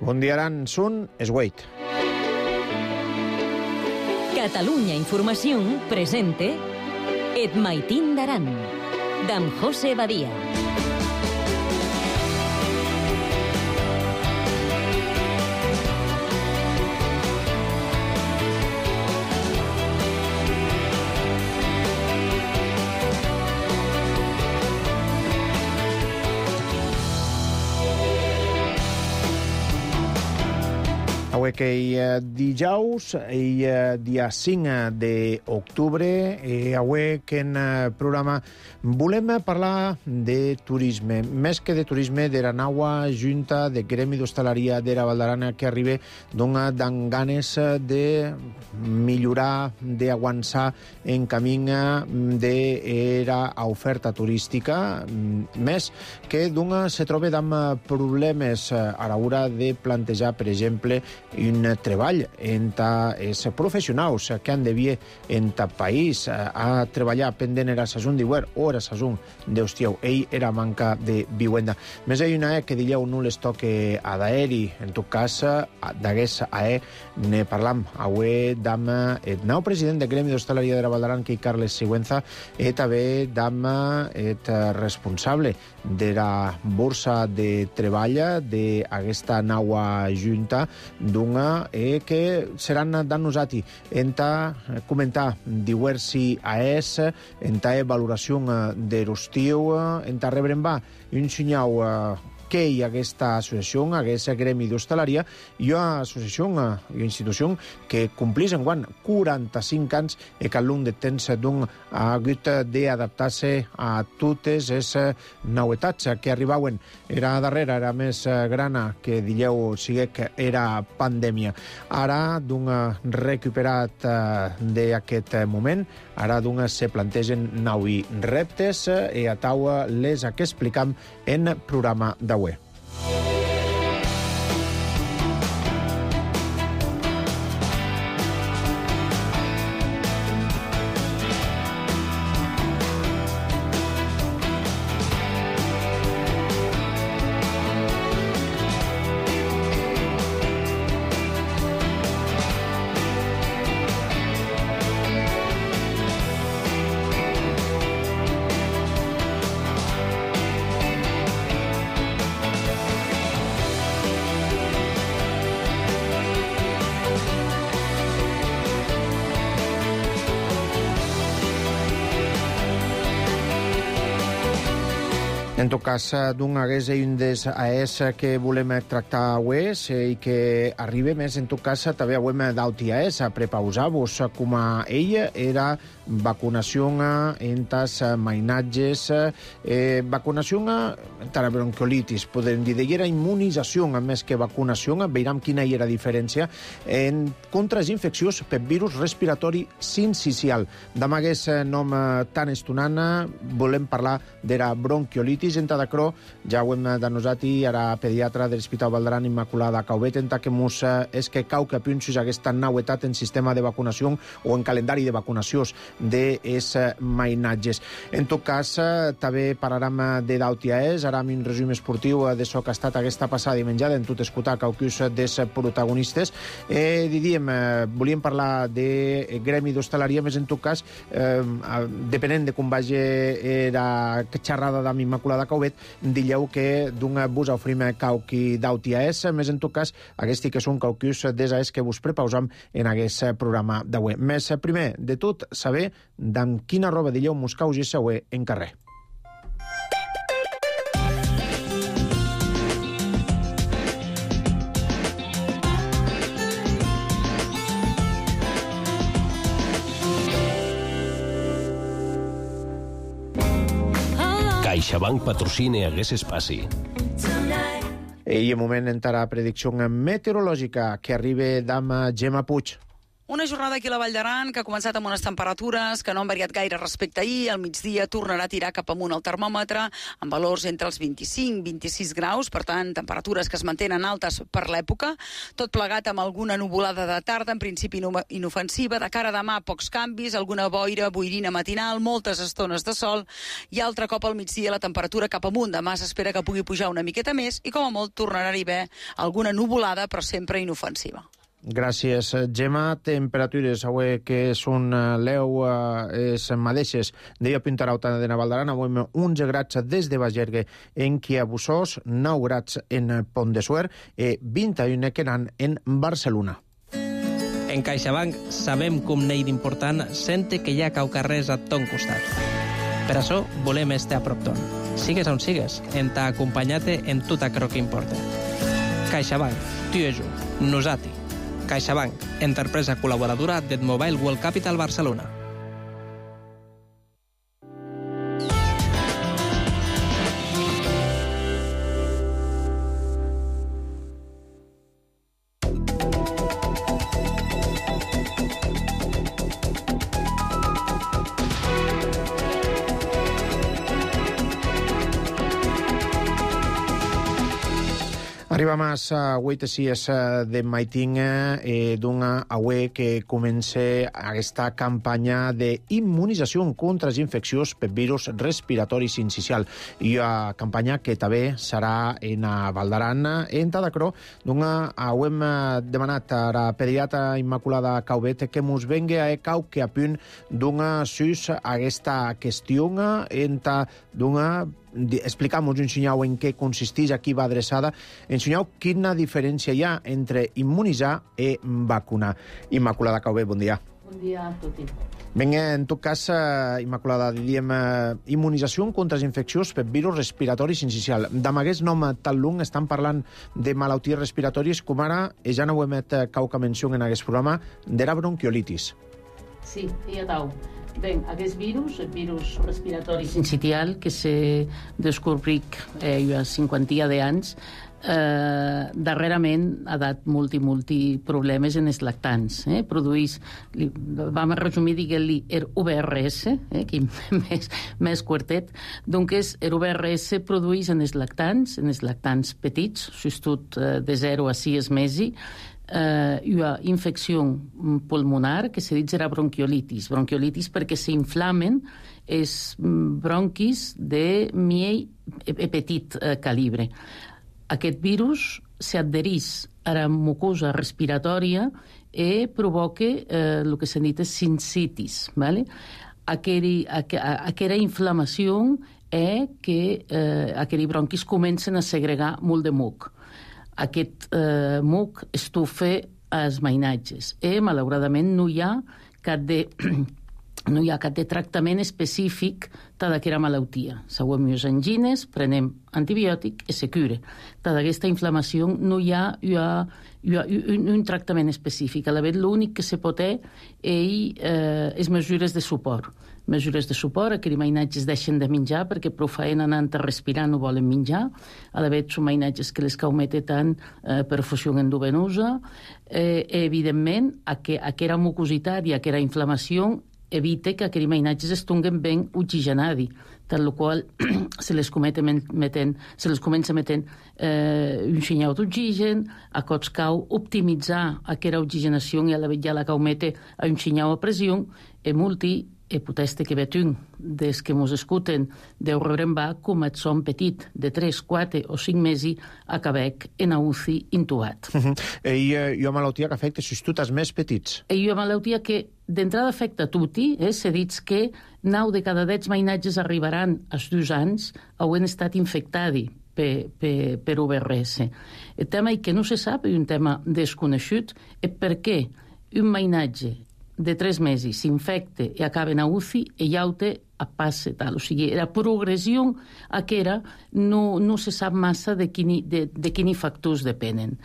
Bon dia, Aran. Sun es Wait. Catalunya Informació presente Et Maitín d'Aran, d'en José Badia. Avui que dijous, dia 5 d'octubre, avui que en programa volem parlar de turisme. Més que de turisme, de la nova junta de Gremi d'Hostaleria de la Val d'Aran que arriba amb ganes de millorar, d'avançar en camí de l'oferta turística, més que se troba amb problemes a l'hora de plantejar, per exemple, un treball entre els professionals que han de vir en el país a treballar pendent la saison d'hivern o la saison d'estiu. Era manca de vivenda. Més hi ha una que dileu no les toque a d'aeri. En tot cas, d'aguest ne parlam avui amb el nou president del Gremi d'Hostaleria de la Val d'Aran, que Carles Sigüenza, i també amb el responsable de la borsa de treball d'aquesta nova junta que seran dan nosati enta comentar diversi AES, enta valoració de l'estiu, enta rebre un senyal que hi ha aquesta associació, aquest gremi d'hostaleria, i una associació, una institució que complís enguany 45 anys i que al long de temps ha hagut d'adaptar-se a totes les novetats que arribaven. Era darrere, era més grana que dileu sigui que era pandèmia. Ara, recuperat d'aquest moment, ara se plantegen nous reptes i a taula les que explicam en programa d'avui. En tot cas, hagués un dels AES que volem tractar avui i que arriba més, en tot cas, també avui d'auti AES a prepausar-vos com a ella era vacunació entre els mainatges, vacunació entre la bronquiolitis, podem dir, era immunització més que vacunació, veurem quina era la diferència en contra les infeccions per virus respiratori sincicial. Amb aquest nom tan estonant volem parlar de la bronquiolitis. Entre d'acrò, ja ho hem denosat i ara pediatra de l'Hospital Val d'Aran Immaculada Cauvet, entre que mos és que cau que punxis aquesta novetat en sistema de vacunació o en calendari de vacunacions dels mainatges. En tot cas, també parlarem de d'AES, ara amb un resum esportiu de so que ha estat aquesta passada dimenjada en tot escoltar caucus dels protagonistes. Volíem parlar de gremi d'hostaleria, més en tot cas, depenent de com vagi la xerrada d'Am Immaculada Cauvet, dilleu que vos ofrim cauqui d'auti AES, més en tot cas, aquests que són caucus des AES que vos prepausam en aquest programa d'avui. Més primer de tot, saber d'en quina roba dilleu mos caugis avui en carrer. CaixaBank patrocina aquest espai. I en moment entrar a predicció meteorològica que arriba d'ama Gemma Puig. Una jornada aquí a la Vall d'Aran que ha començat amb unes temperatures que no han variat gaire respecte a ahir. Al migdia tornarà a tirar cap amunt el termòmetre amb valors entre els 25 i 26 graus, per tant, temperatures que es mantenen altes per l'època. Tot plegat amb alguna nuvolada de tarda, en principi inofensiva. De cara a demà, pocs canvis, alguna boirina matinal, moltes estones de sol i altre cop al migdia la temperatura cap amunt. Demà s'espera que pugui pujar una miqueta més i com a molt tornarà a haver alguna nuvolada, però sempre inofensiva. Gràcies, Gemma. Temperatures avui que són leu les mateixes. Deia Pintarauta de Naval d'Aran, avui 11 grads des de Bagergue en Quiabussós, 9 grads en Pont de Suert i 21 que eren en Barcelona. En CaixaBank sabem que un neix important sente que hi ha caucarrers a ton costat. Per això volem estar a prop ton. Sigues on sigues, en t'ha acompanyat en tot aquello que importa. CaixaBank, tu i jo, nosati. CaixaBank, empresa col·laboradora del Mobile World Capital Barcelona. Arriba más a Huitesies de Maiting d'una away que comença aquesta campanya d'immunització contra les infeccions per virus respiratori sincicial. I una campanya que també serà en Val d'Aran. En Tadacro, d'una hem demanat a la pediatra Immaculada Caubet que ens vengui a cau que a punt d'una sus aquesta qüestió d'una explicamos, ensenyau en què consisteix, a qui va adreçada, ensenyau quina diferència hi ha entre immunitzar i vacunar. Immaculada Caubé, bon dia. Bon dia a tots. Vinga, en tot cas, Immaculada, diríem immunització contra les infeccions per virus respiratori sincicial. D'amb aquest nom tan long estan parlant de malalties respiratòries, com ara, ja no ho hem cauca menció en aquest programa, de la bronquiolitis. Sí, ja tau. Bé, aquest virus, el virus respiratori sincicial, que se descobric ha 50 d'anys, darrerament ha dat multi problemes en els lactants. Produís, vam resumir, diguem-li, UVRS, que més quartet. Doncs l'UVRS produís en els lactants petits, sobretot de 0 a 6 mesos, una infecció pulmonar que se diu era bronquiolitis perquè s'inflamen els bronquis de petit calibre. Aquest virus s'adhereix a la mucosa respiratòria i provoca el que s'ha dit sincitis. Aquella inflamació és que aquells bronquis comencen a segregar molt de muc. Aquest muc estufa els mainatges i, malauradament, no hi ha cap de tractament específic d'aquesta malaltia. Seguem les angines, prenem antibiòtic i se cura. D'aquesta inflamació no hi ha un tractament específic. A la vegada, l'únic que se pot és mesures de suport. Mesures de suport, aquells mainatges deixen de menjar perquè prou feina anant a respirar no volen menjar. A la vegada, són mainatges que les caumeten tant perfusió endovenosa. Evidentment, aquella mucositat i aquella inflamació evita que aquells mainatges estiguin ben oxigenats, tal qual se les comença metent un senyal d'oxigen, a cops cau optimitzar aquella oxigenació i a la vegada la caumeta a un senyal a pressió e poteste que vetun des que mos escuten deu rebrem va com et son petit de 3, 4 o 5 mesos a Quebec en a UCI intubat. I una malaltia que afecta sobretot els més petits. I una malaltia que d'entrada afecta a tutti, se dit que 9 de cada 10 mainatges arribaran als 2 anys hauen estat infectats per UVRS. El tema que no se sap, i un tema desconegut, és per què un mainatge de 3 mesos s'infecta i acaba en UCI i llaute a passe tal. O sigui, la progressió aquera no se sap massa de quini factors depenen.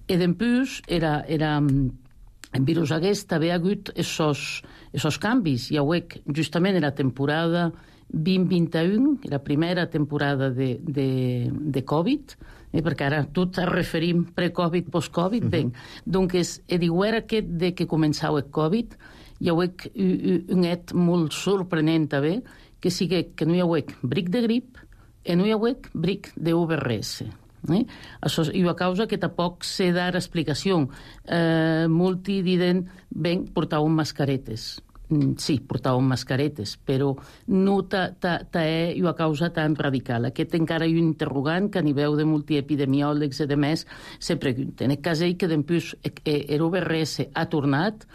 I d'empús, el virus aquest també ha hagut aquests canvis. Hi ha justament la temporada 2021, la primera temporada de Covid, perquè ara tot es referim pre-Covid, post-Covid, doncs diuera aquest de que començau el Covid, hi ha un et molt sorprenent també, que sigui que no hi ha bric de grip i no hi ha bric de VRS. Això hi ha causa que tampoc se dar explicació. Molti diden, portàvem mascaretes. Sí, portàvem mascaretes, però no hi ha causa tan radical. Aquest encara hi ha un interrogant que a nivell de multiepidemiòlegs i de més se pregunten. En el cas que després el VRS ha tornat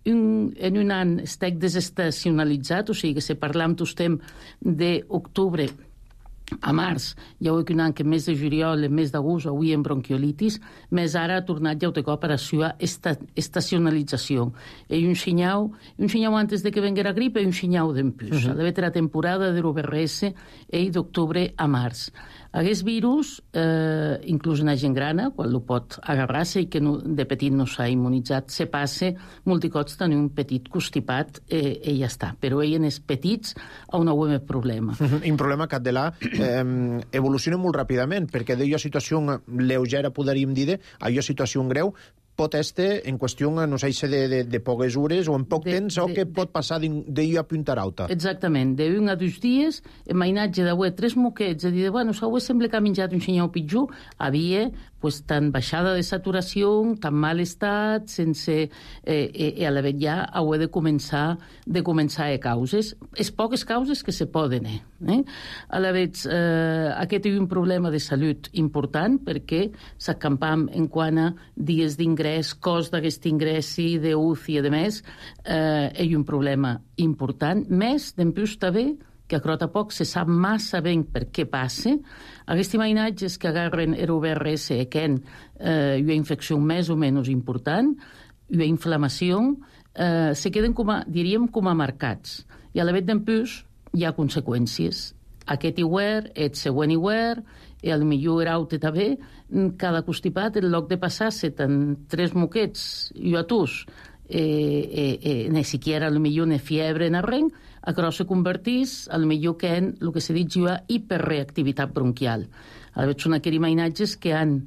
en un any estic desestacionalitzat, o sigui que si parlam tostem d'octubre a març, hi ha un any que més de juliol, més d'agost, avui en bronquiolitis, més ara ha tornat ja un cop a la seva estacionalització. I un senyal antes de que venga la grip i un senyal d'empús. Ha d'haver la temporada de l'OVRS d'octubre a març. Aquest virus, inclús en la gent grana, quan lo pot agarrar-se i que de petit no s'ha immunitzat, se passa multicots tenir un petit constipat i ja està. Però ell en els petits on no hi ha problema. Un problema que evoluciona molt ràpidament, perquè d'una situació lleugera, podríem dir, a una situació greu, pot estar en qüestió, no sé, de poques hores o en poc temps, o que pot passar d'una punta a l'altra. Exactament. d'un a 2 dies, en mainatge d'avui 3 moquets, a dir, bueno, s'avui sembla que ha menjat un senyor pitjor, havia tan baixada de saturació, tan mal estat, sense... I a la vegada ja heu de començar a causes. És poques causes que se poden, A la vegada, aquest és un problema de salut important, perquè s'acampam en quant a dies d'ingrés, cost d'aquest ingrés i d'UCI i de més, és un problema important. Més, d'empús també, que a crota poc se sap massa ben per què passa. Aquests imatges que agarren l'OVRS que hi ha infecció més o menys important, hi ha inflamació, se queden, diríem, com a marcats. I a la vegada d'empús hi ha conseqüències. Aquest hivern, el següent hivern, i potser era altre també, cada constipat, en lloc de passar-se tant 3 moquets i atus, ni siquiera potser una fiebre en arrenc, a què se convertís, potser que en el que se diu hiperreactivitat bronquial. A la vegada són aquells imatges que han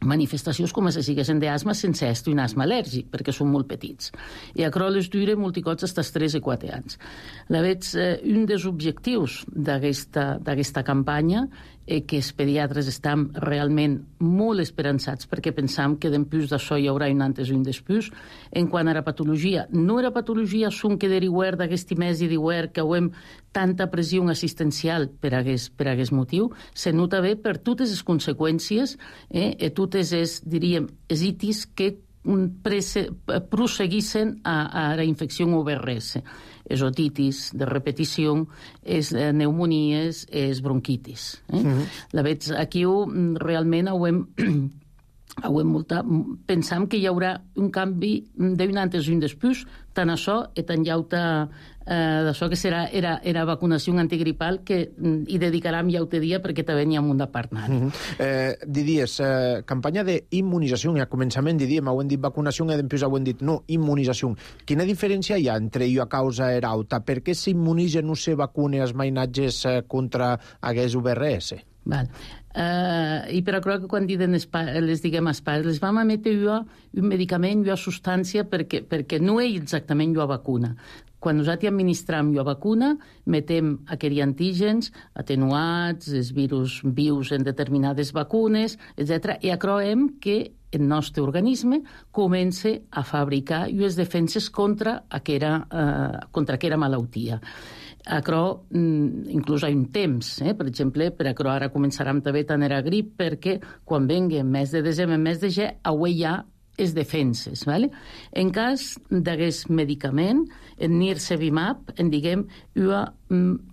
manifestacions com si siguessin d'asma sense estar un asma al·lèrgic, perquè són molt petits. I a les dura multicots fins als 3 i 4 anys. A la vegada, un dels objectius d'aquesta campanya és que els pediatres estan realment molt esperançats perquè pensam que d'empús d'això hi haurà un antes i un després. En quant a la patologia, no era patologia són que deriuer d'aquest mes i d'hivern que hem tanta pressió assistencial per aquest motiu, se nota bé per totes les conseqüències i totes les, diríem, els itis que proseguissin a la infecció OVRS. És otitis de repetició, és pneumonies, és bronquitis. La veig aquí realment pensam que hi haurà un canvi d'un antes i un després, tant això i tant llauta d'això que serà era vacunació antigripal que hi dedicarem llauta dia perquè també n'hi ha un de parlar. Diries, campanya d'immunització, a començament diríem, ho hem dit vacunació i després ho hem dit no, immunització. Quina diferència hi ha entre a causa era alta? Per què s'immunitza no se vacuna els mainatges contra aquest VRS? Val. I per això que quan les diguem als pares, les vam emetre un medicament, una substància, perquè no és exactament una vacuna. Quan nosaltres administram la vacuna, metem aquells antígens atenuats, els virus vius en determinades vacunes, etc. I acroem que el nostre organisme comença a fabricar les defenses contra aquella malaltia. Acro, inclús hi ha un temps, per exemple, per acro ara començarem també tant era grip, perquè quan vengui mes de desembre, mes de gener, avui hi ha les defenses. En cas d'aquest medicament, en nirsevimab, en diguem una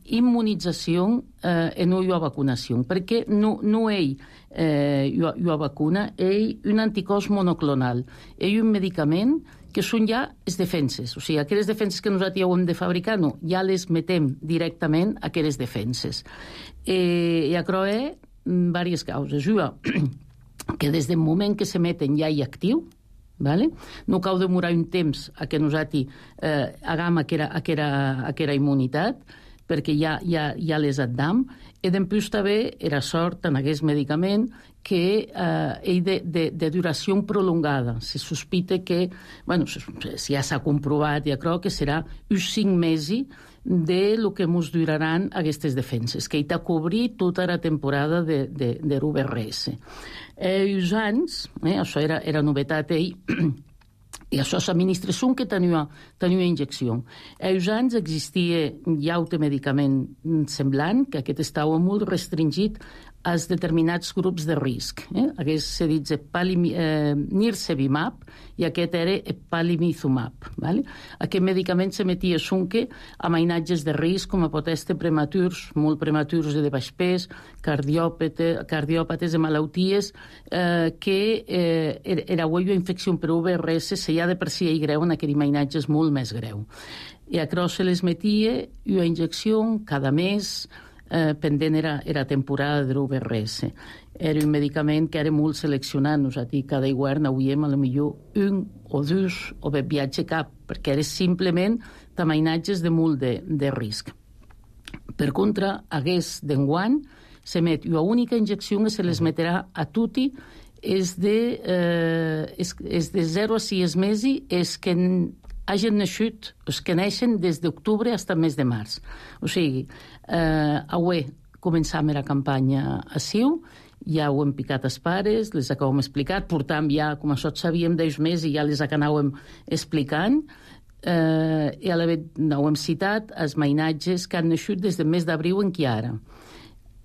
immunització en una vacunació, perquè no és una vacuna, és un anticòs monoclonal, és un medicament que són ja les defenses. O sigui, aquelles defenses que nosaltres ja ho hem de fabricar, no, ja les metem directament a aquelles defenses. I això és diverses causes. Una, que des del moment que s'emeten ja hi actiu, no cal demorar un temps a que nosaltres hagam aquella immunitat, perquè ja les addam, i després també era sort en aquest medicament que és de duració prolongada. Se sospita que, bueno, si ja s'ha comprovat, ja crec que serà uns 5 mesos de lo que ens duraran aquestes defenses, que hi ha cobrir tota la temporada de l'UVRS. Uns anys, això era novetat ell, i això s'administració que tenia injecció. Uns anys existia ja un medicament semblant, que aquest estava molt restringit als determinats grups de risc. Aquest se dit nirsevimab i aquest era palimizumab. Aquest medicament s'emetia sonque a mainatges de risc com a pot estar prematurs, molt prematurs i de baix pes, cardiòpates de malalties que era una infecció per UVRS se ja de per si hi greu en aquell mainatge és molt més greu. I a se les metia una injecció cada mes, pendent era temporada de l'UVRS. Era un medicament que era molt seleccionat. Nosaltres cada hivern hauríem potser un o dos o bé viatge cap, perquè era simplement tamainatges de molt de risc. Per contra, hagués d'enguany s'emet una única injecció que se les metrà a tutti és de 0 a 6 mesos és que hagin nascut, els que neixen des d'octubre fins al mes de març. O sigui, avui començam la campanya a Siu, ja ho hem picat als pares, les acabem explicat, portam ja, com això sabíem 10 mesos i ja les anàvem explicant, i a la vegada ho hem citat, els mainatges que han nascut des del mes d'abril en qui ara.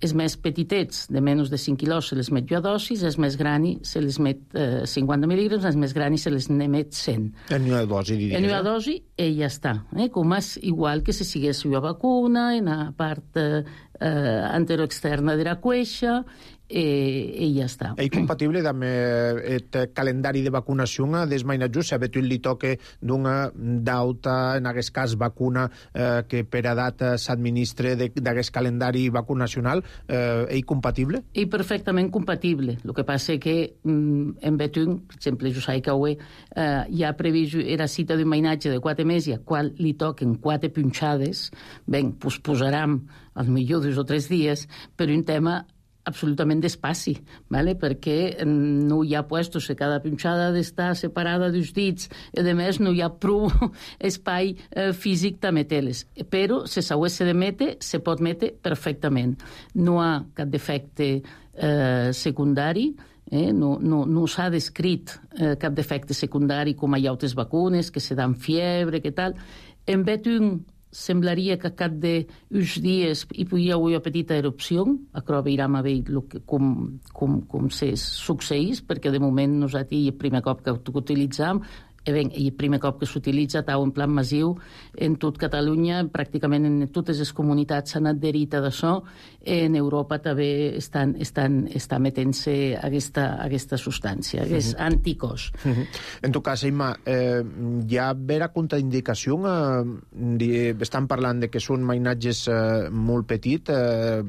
Els més petitets, de menys de 5 quilos, se les met jo a dosis, els més grans se les met 50 mil·lígrams, els més grans se les n'emet 100. En una dosi, diries. En una dosi, i ja està. Com és igual que si sigués una vacuna, en la part anteroexterna de la cueixa, i ja està. És compatible amb el calendari de vacunació dels mainatges? Si a tu li toca d'una dauta, en aquest cas vacuna, que per edat s'administra d'aquest calendari vacunacional, és compatible? És perfectament compatible. El que passa que en Betún, per exemple, jo sé que avui ja ha previst la cita d'un mainatge de 4 mesos, al qual li toquen 4 punxades, ben, doncs posarem al millor 2 o 3 dies per un tema absolutament d'espaci, perquè no hi ha puestos que cada punxada ha d'estar separada dels dits i a més no hi ha prou espai físic de meter-les. Però si s'hagués de metre, se pot metre perfectament. No hi ha cap defecte secundari, no s'ha descrit cap defecte secundari com hi ha altres vacunes que se dan fiebre, que tal. En Betún semblaria que cap d'uns dies hi podia haver una petita erupció, però veurem a veure com se succeís, perquè de moment nosaltres el primer cop que utilitzam, el primer cop que s'utilitza en plan massiu en tot Catalunya, pràcticament en totes les comunitats s'han adherit a això, en Europa també estan metent-se aquesta substància, aquest anticòs. En tot cas, Imma, hi ha vera contraindicació? Estan parlant de que són mainatges molt petits,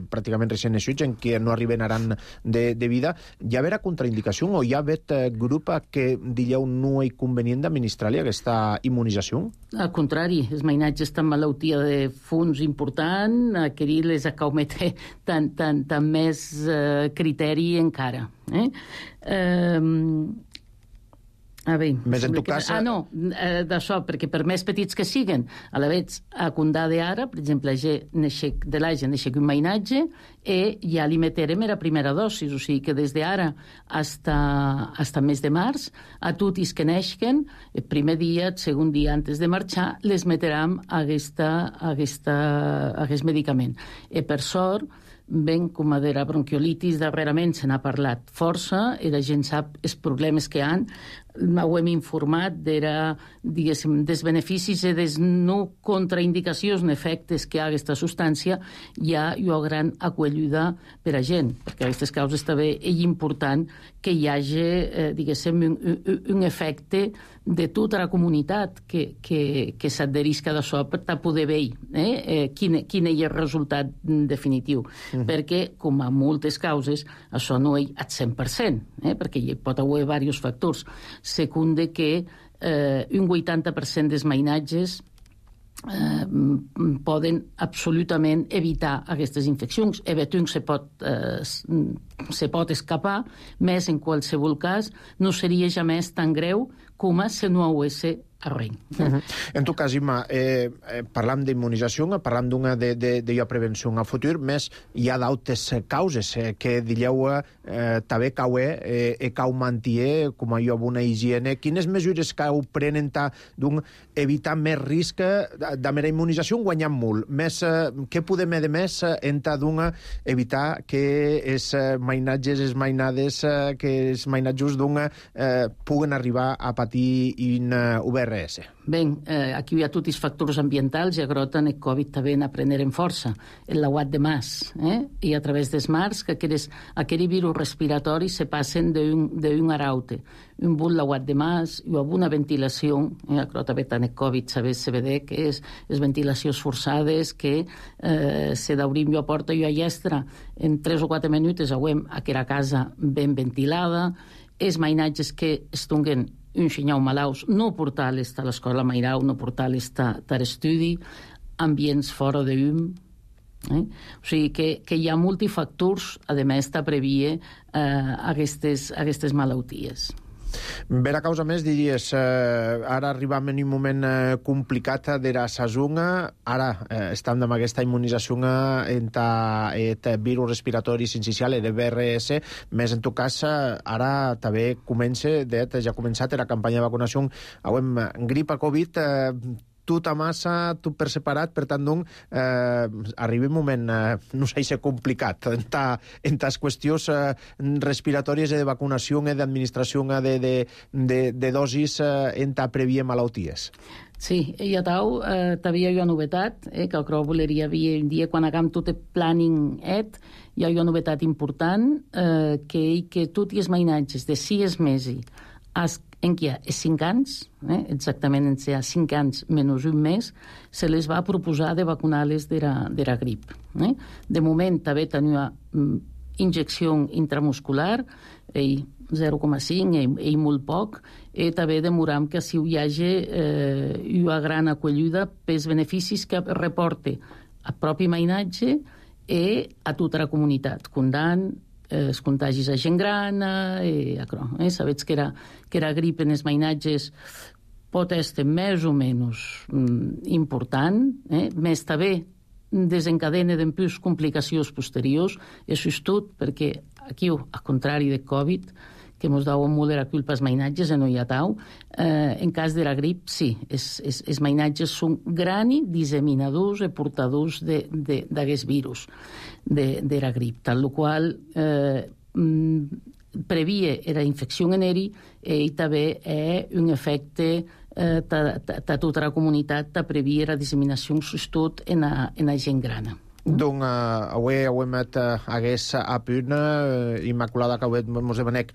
pràcticament recent nascuts, en què no arribaran de vida. Hi ha vera contraindicació o hi ha vet grup que dieu no hi convenient d'administrar-li aquesta immunització? Al contrari, els mainatges estan malaltia de fons important, que les acaumeté tant més criteri encara. Més en tot cas... no, d'això, perquè per més petits que siguen, a la vegada, a Condà d'ara, per exemple, de l'Aja neixec un mainatge i ja li meterem la primera dosi, o sigui que des d'ara fins al mes de març, a tots que neixen, el primer dia, el segon dia antes de marxar, les meterem aquest medicament. I per sort, ben com a de la bronquiolitis darrerament se n'ha parlat força i la gent sap els problemes que hi ha. Ho hem informat dels beneficis i dels no contraindicacions ni efectes que hi ha aquesta substància. Hi ha una gran acollida per a gent, perquè a aquestes causes també és important que hi hagi, diguéssim, un efecte de tota la comunitat que s'adherisca d'això per poder veure quin és el resultat definitiu. Perquè, com a moltes causes, això no és al 100%, perquè hi pot haver diversos factors. Secunde que un 80% dels mainatges poden absolutament evitar aquestes infeccions. Evidentment se pot escapar, més en qualsevol cas no seria jamais tan greu com si no hagués arrenc. En tot cas, Imma, parlam d'immunització, parlam d'una de prevenció a futur, més hi ha d'altres causes que dileu també cau mantier com a una higiene. Quines mesures cau prenen d'un evitar més risc de mera immunització guanyant molt? Què podem de més d'una evitar que els mainatges, les mainades, que els mainatjos d'una puguen arribar a patir in UVRS? Ben, aquí hi ha tots els factors ambientals i agrota el Covid també a prendre en força. El lauat de mas, i a través dels mars que aquells virus respiratoris se passen d'un a l'altre. Un bon lauat de mas i una ventilació, agrota també tant el Covid, se vede que és ventilacions forçades que se d'obrim jo a porta i a llestra en 3 o 4 minuts hauem aquella casa ben ventilada, els mainatges que estunguen un xinyau malaus, no portar-les a l'escola Mairau, no portar-les a l'estudi, ambients fora d'um. O sigui que hi ha multifactors, a més, de prevenir aquestes malalties. Per a causa més, diries, ara arribam en un moment complicat de la sazonga, ara estem amb aquesta immunització entre el virus respiratori sincicial, el VRS, més en tot cas, ara també ja ha començat la campanya de vacunació amb grip a Covid, tot a massa, tot per separat, per tant, arriba un moment, no sé si complicat, en les qüestions respiratòries de vacunació i d'administració de dosis en prevenir malalties. Sí, i a tau, també hi ha una novetat, que el que voleria dir un dia, quan hagam tot el planning hi ha una novetat important, que tots els mainatges de 6 mesos en què hi ha 5 anys, exactament en què hi ha 5 anys menys un mes, se les va proposar de vacunar-les de la grip. De moment també tenia injecció intramuscular, 0,5 i molt poc, i també demoram que si hi hagi una gran acollida pels beneficis que reporta el propi mainatge i a tota la comunitat, condant els contagis a gent gran, sabets que la grip en els mainatges pot estar més o menys important, més també desencadena d'empús complicacions posteriors, això és tot, perquè aquí, al contrari de Covid, que ens dau molt de la culpa als mainatges, no hi ha tau, en cas de la grip, sí, els mainatges són grans disseminadors i portadors d'aquest virus de la grip, tal qual previa la infecció en eri i també un efecte de tota la comunitat de previa la disseminació tot en la gent gran. Donc, avui hem hagués a punt, Immaculada, que avui ens demanec,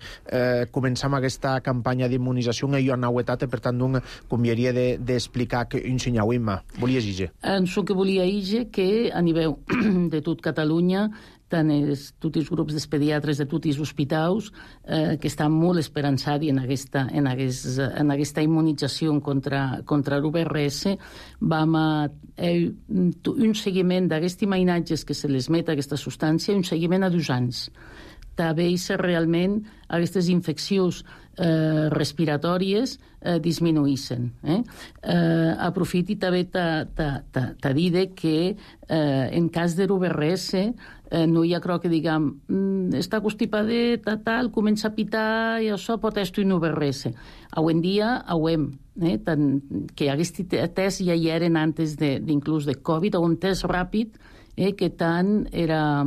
començam aquesta campanya d'immunització i hi ha novetat, per tant, convindria d'explicar un senyal, Imma. Volies dir? Això que volia dir que a nivell de tot Catalunya tant tots els grups dels pediatres de tots els hospitals que estan molt esperançats en aquesta immunització contra l'UVRS. Vam a un seguiment d'aquests mainatges que se les met aquesta substància, un seguiment a 2 anys. També realment aquestes infeccions respiratòries disminuïssen. Aprofiti també de dir que en cas de l'UVRS no hi ha crò que diguem està constipadet, tal, comença a pitar i això pot estar un UVRS. Avui en dia que aquest test ja hi eren antes d'inclús de Covid, un test ràpid que tant era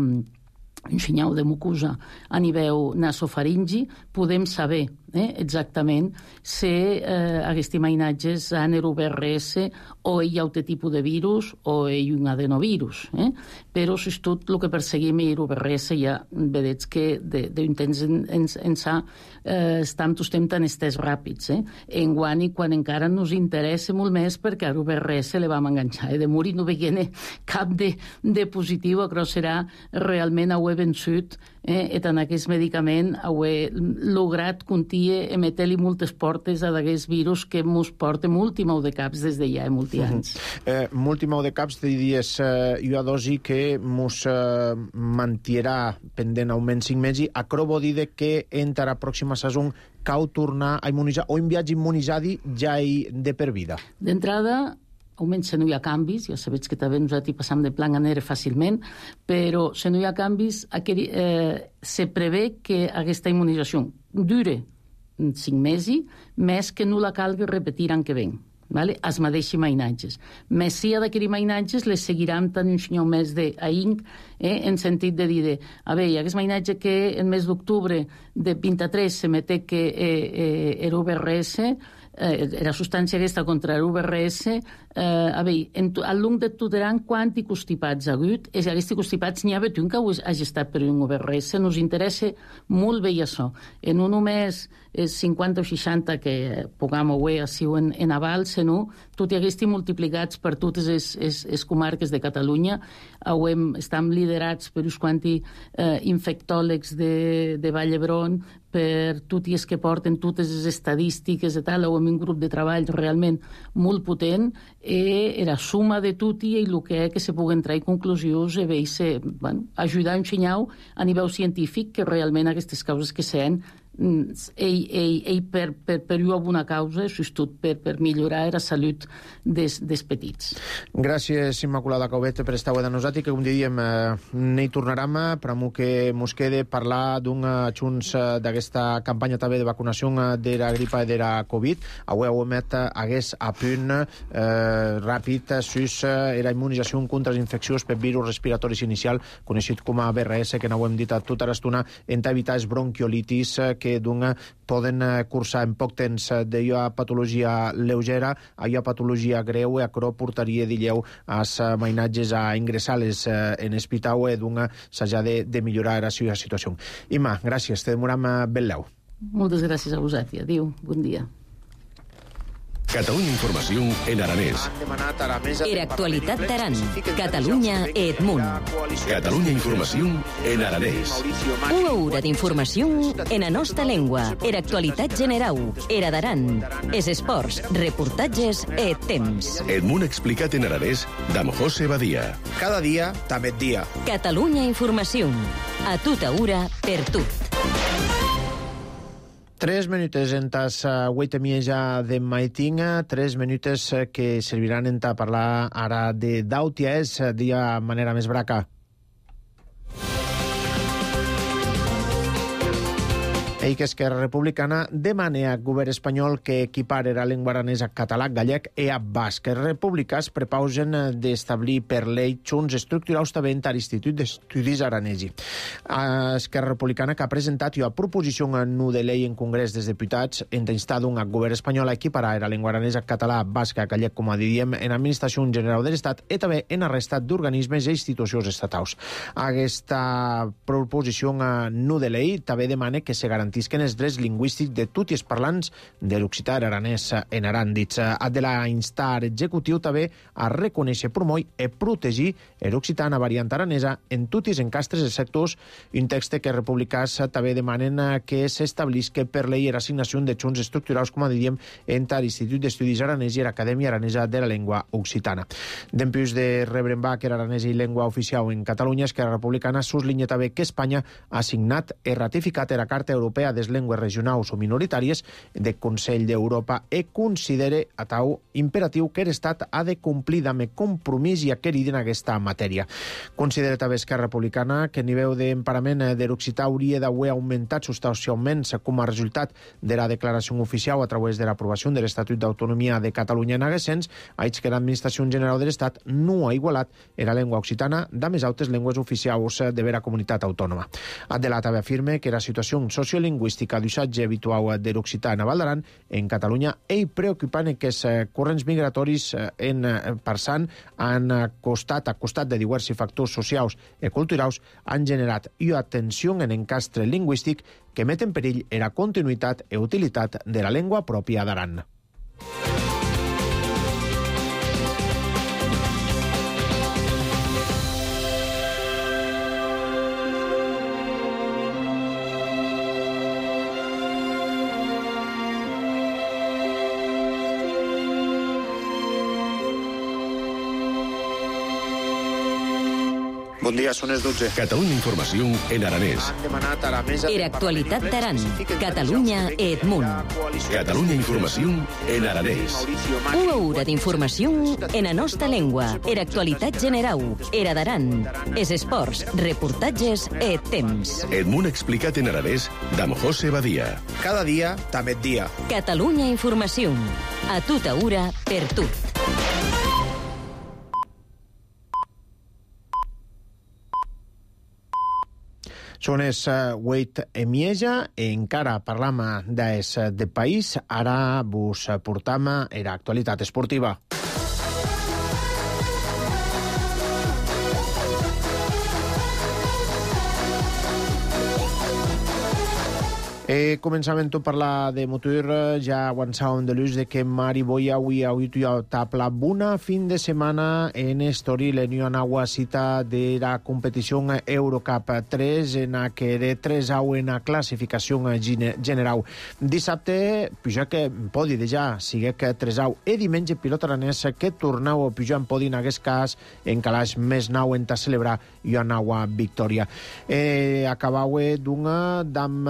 un senyal de mucosa a nivell nasofaringi, podem saber exactament si aquests mainatges han l'UVRS o hi ha un tipus de virus o hi ha un adenovirus. Però, tot el que perseguim és l'UVRS, ja vedeig que d'un temps ençà estem tan estès ràpids. Enguany, quan encara ens interessa molt més perquè a l'UVRS le vam enganxar. De morir no veient cap de positiu, però serà realment vençut et en aquest medicament he lograt contie emetre-li moltes portes a d'aquest virus que mos porta molti mau de caps des de ja molti anys. Molti mau de caps de dies ua dosi que mos mantirà pendent almenys 5 mesos. Aquerò vol dir que entra la pròxima saison cau tornar a immunitzar o en viatge immunitzadi ja hi de per vida? D'entrada, almenys si no hi ha canvis, ja sabeu que també nosaltres passam de plan a negre fàcilment, però si no hi ha canvis, se prevé que aquesta immunització dure 5 mesos, més que no la calgui repetir l'any que ven. Vale? Es mateixos mainatges. Més si ha d'aquests mainatges les seguiran tant un senyor més d'ahir, en sentit de dir, a veure, aquest mainatge que el mes d'octubre de 23 se mete que era UVRS, la substància aquesta contra l'UVRS, a veure, al long de tot l'any, quant i constipats ha hagut, és aquests constipats n'hi ha hagut un que hagi estat per un UVRS, nos interessa molt bé això. En un només 50 o 60 que puguem haver així en aval, sinó tot i aquests multiplicats per totes les comarques de Catalunya, estem liderats per uns quants infectòlegs de Vall d'Hebron, per tot i els que porten totes les estadístiques i tal, o amb un grup de treball realment molt potent, era suma de tot i el que se puguen treure conclusions i ajudar a ensenyar a nivell científic que realment aquestes causes que sean per una causa, sobretot per millorar la salut dels petits. Gràcies, Immaculada Caubet, per estar avui amb nosaltres, que com diríem, n'hi tornarem, però que mos quede parlar d'un junts d'aquesta campanya també de vacunació de la gripa i de la Covid. Avui hagués a punt ràpid sus la immunització contra les infeccions per virus respiratoris inicial, coneixit com a VRS, que no ho hem dit tota l'estona, en evitar les bronquiolitis que poden cursar en poc temps d'allò patologia lleugera a allò patologia greu, i això portaria, dilleu, als mainatges a ingressar-les en hospital i s'ha de millorar la seva situació. Imma, gràcies, te demoram ben leu. Moltes gràcies a vosaltres. Adéu, bon dia. Catalunya Informació en aranès. Era actualitat d'Aran. Catalunya et munt. Catalunya Informació en aranès. Una hora d'informació en la nostra llengua. Era actualitat generau. Era d'Aran. Es esports, reportatges et temps. El món explicat en aranès d'Am José Badia. Cada dia, també dia. Catalunya Informació. A tota hora, per tot. 3 minutes en tas 8:30 ja de maiting, 3 minutes que serviran en ta parlar ara de d'Autia, és dia manera més braca. Ell que Esquerra Republicana demana al govern espanyol que equipare la llengua aranesa català, gallec i a basc. Els republicans prepausen d'establir per llei junts estructurals també en l'Institut d'Estudis Aranesi. Esquerra Republicana que ha presentat una proposició no de llei en Congrés dels Diputats en instar al govern espanyol a equiparar la llengua aranesa català, basc i gallec, com diríem, en l'Administració General de l'Estat i també en la resta d'organismes i institucions estatals. Aquesta proposició no de llei també demana que se garantisquen els drets lingüístics de tots els parlants de l'occità aranès en Aran. Ha de la instar executiu també a reconèixer, promoure i protegir l'occità en la variant aranesa en tots els encastres i sectors. Un text que els republicans també demanen que s'establisca per llei l'assignació de junts estructurals, com diríem, entre l'Institut d'Estudis Aranès i l'Acadèmia Aranesa de la Llengua Occitana. Dempús de rebre en que l'aranès i llengua oficial en Catalunya, Esquerra Republicana suslinya també que Espanya ha signat i ratificat la Carta Europea de les llengües regionals o minoritàries del Consell d'Europa i considera a tau imperatiu que l'Estat ha de complir amb compromís i acquerir en aquesta matèria. Considera també Esquerra Republicana que el nivell d'emparament de l'occità hauria d'haver augmentat substancialment com a resultat de la declaració oficial a través de l'aprovació de l'Estatut d'Autonomia de Catalunya en aquest sens, haig que l'Administració General de l'Estat no ha igualat la llengua occitana de més altres llengües oficials de la comunitat autònoma. Adela també afirma que la situació sociolingüística d'usatge habitual de l'occità en Val d'Aran en Catalunya és preocupant que els corrents migratoris en Parsan han costat de diversos factors socials i culturals han generat una tensió en l'encastre lingüístic que met en perill la continuïtat i utilitat de la llengua pròpia d'Aran. Bon dia, són les 12. Catalunya Informació en aranès. Han demanat a la mesa... Era actualitat d'Aran. Catalunya e Edmunt. Catalunya Informació en aranès. Una hora d'informació en la nostra llengua. Era actualitat generau. Era d'Aran. És esports, reportatges e temps. Edmunt explicat en aranès d'Am José Badia. Cada dia, també dia. Catalunya Informació. A tota hora, per tu. Són els 8:30, encara parlam des de país, ara vos portam era actualitat esportiva. Començàvem a parlar de motor, ja avançàvem de l'ús de que Mari Boia avui ha tapla bona fin de setmana en Estoril, en una cita de la competició Eurocup 3, en la que era 3-0 en la classificació general. Dissabte, puja que podi de ja, sigue que 3-0, i diumenge pilot aranès que tornau a pujar en podi en aquest cas, en calaix més nou en ta celebrar i una victòria. Acabau d'una d'am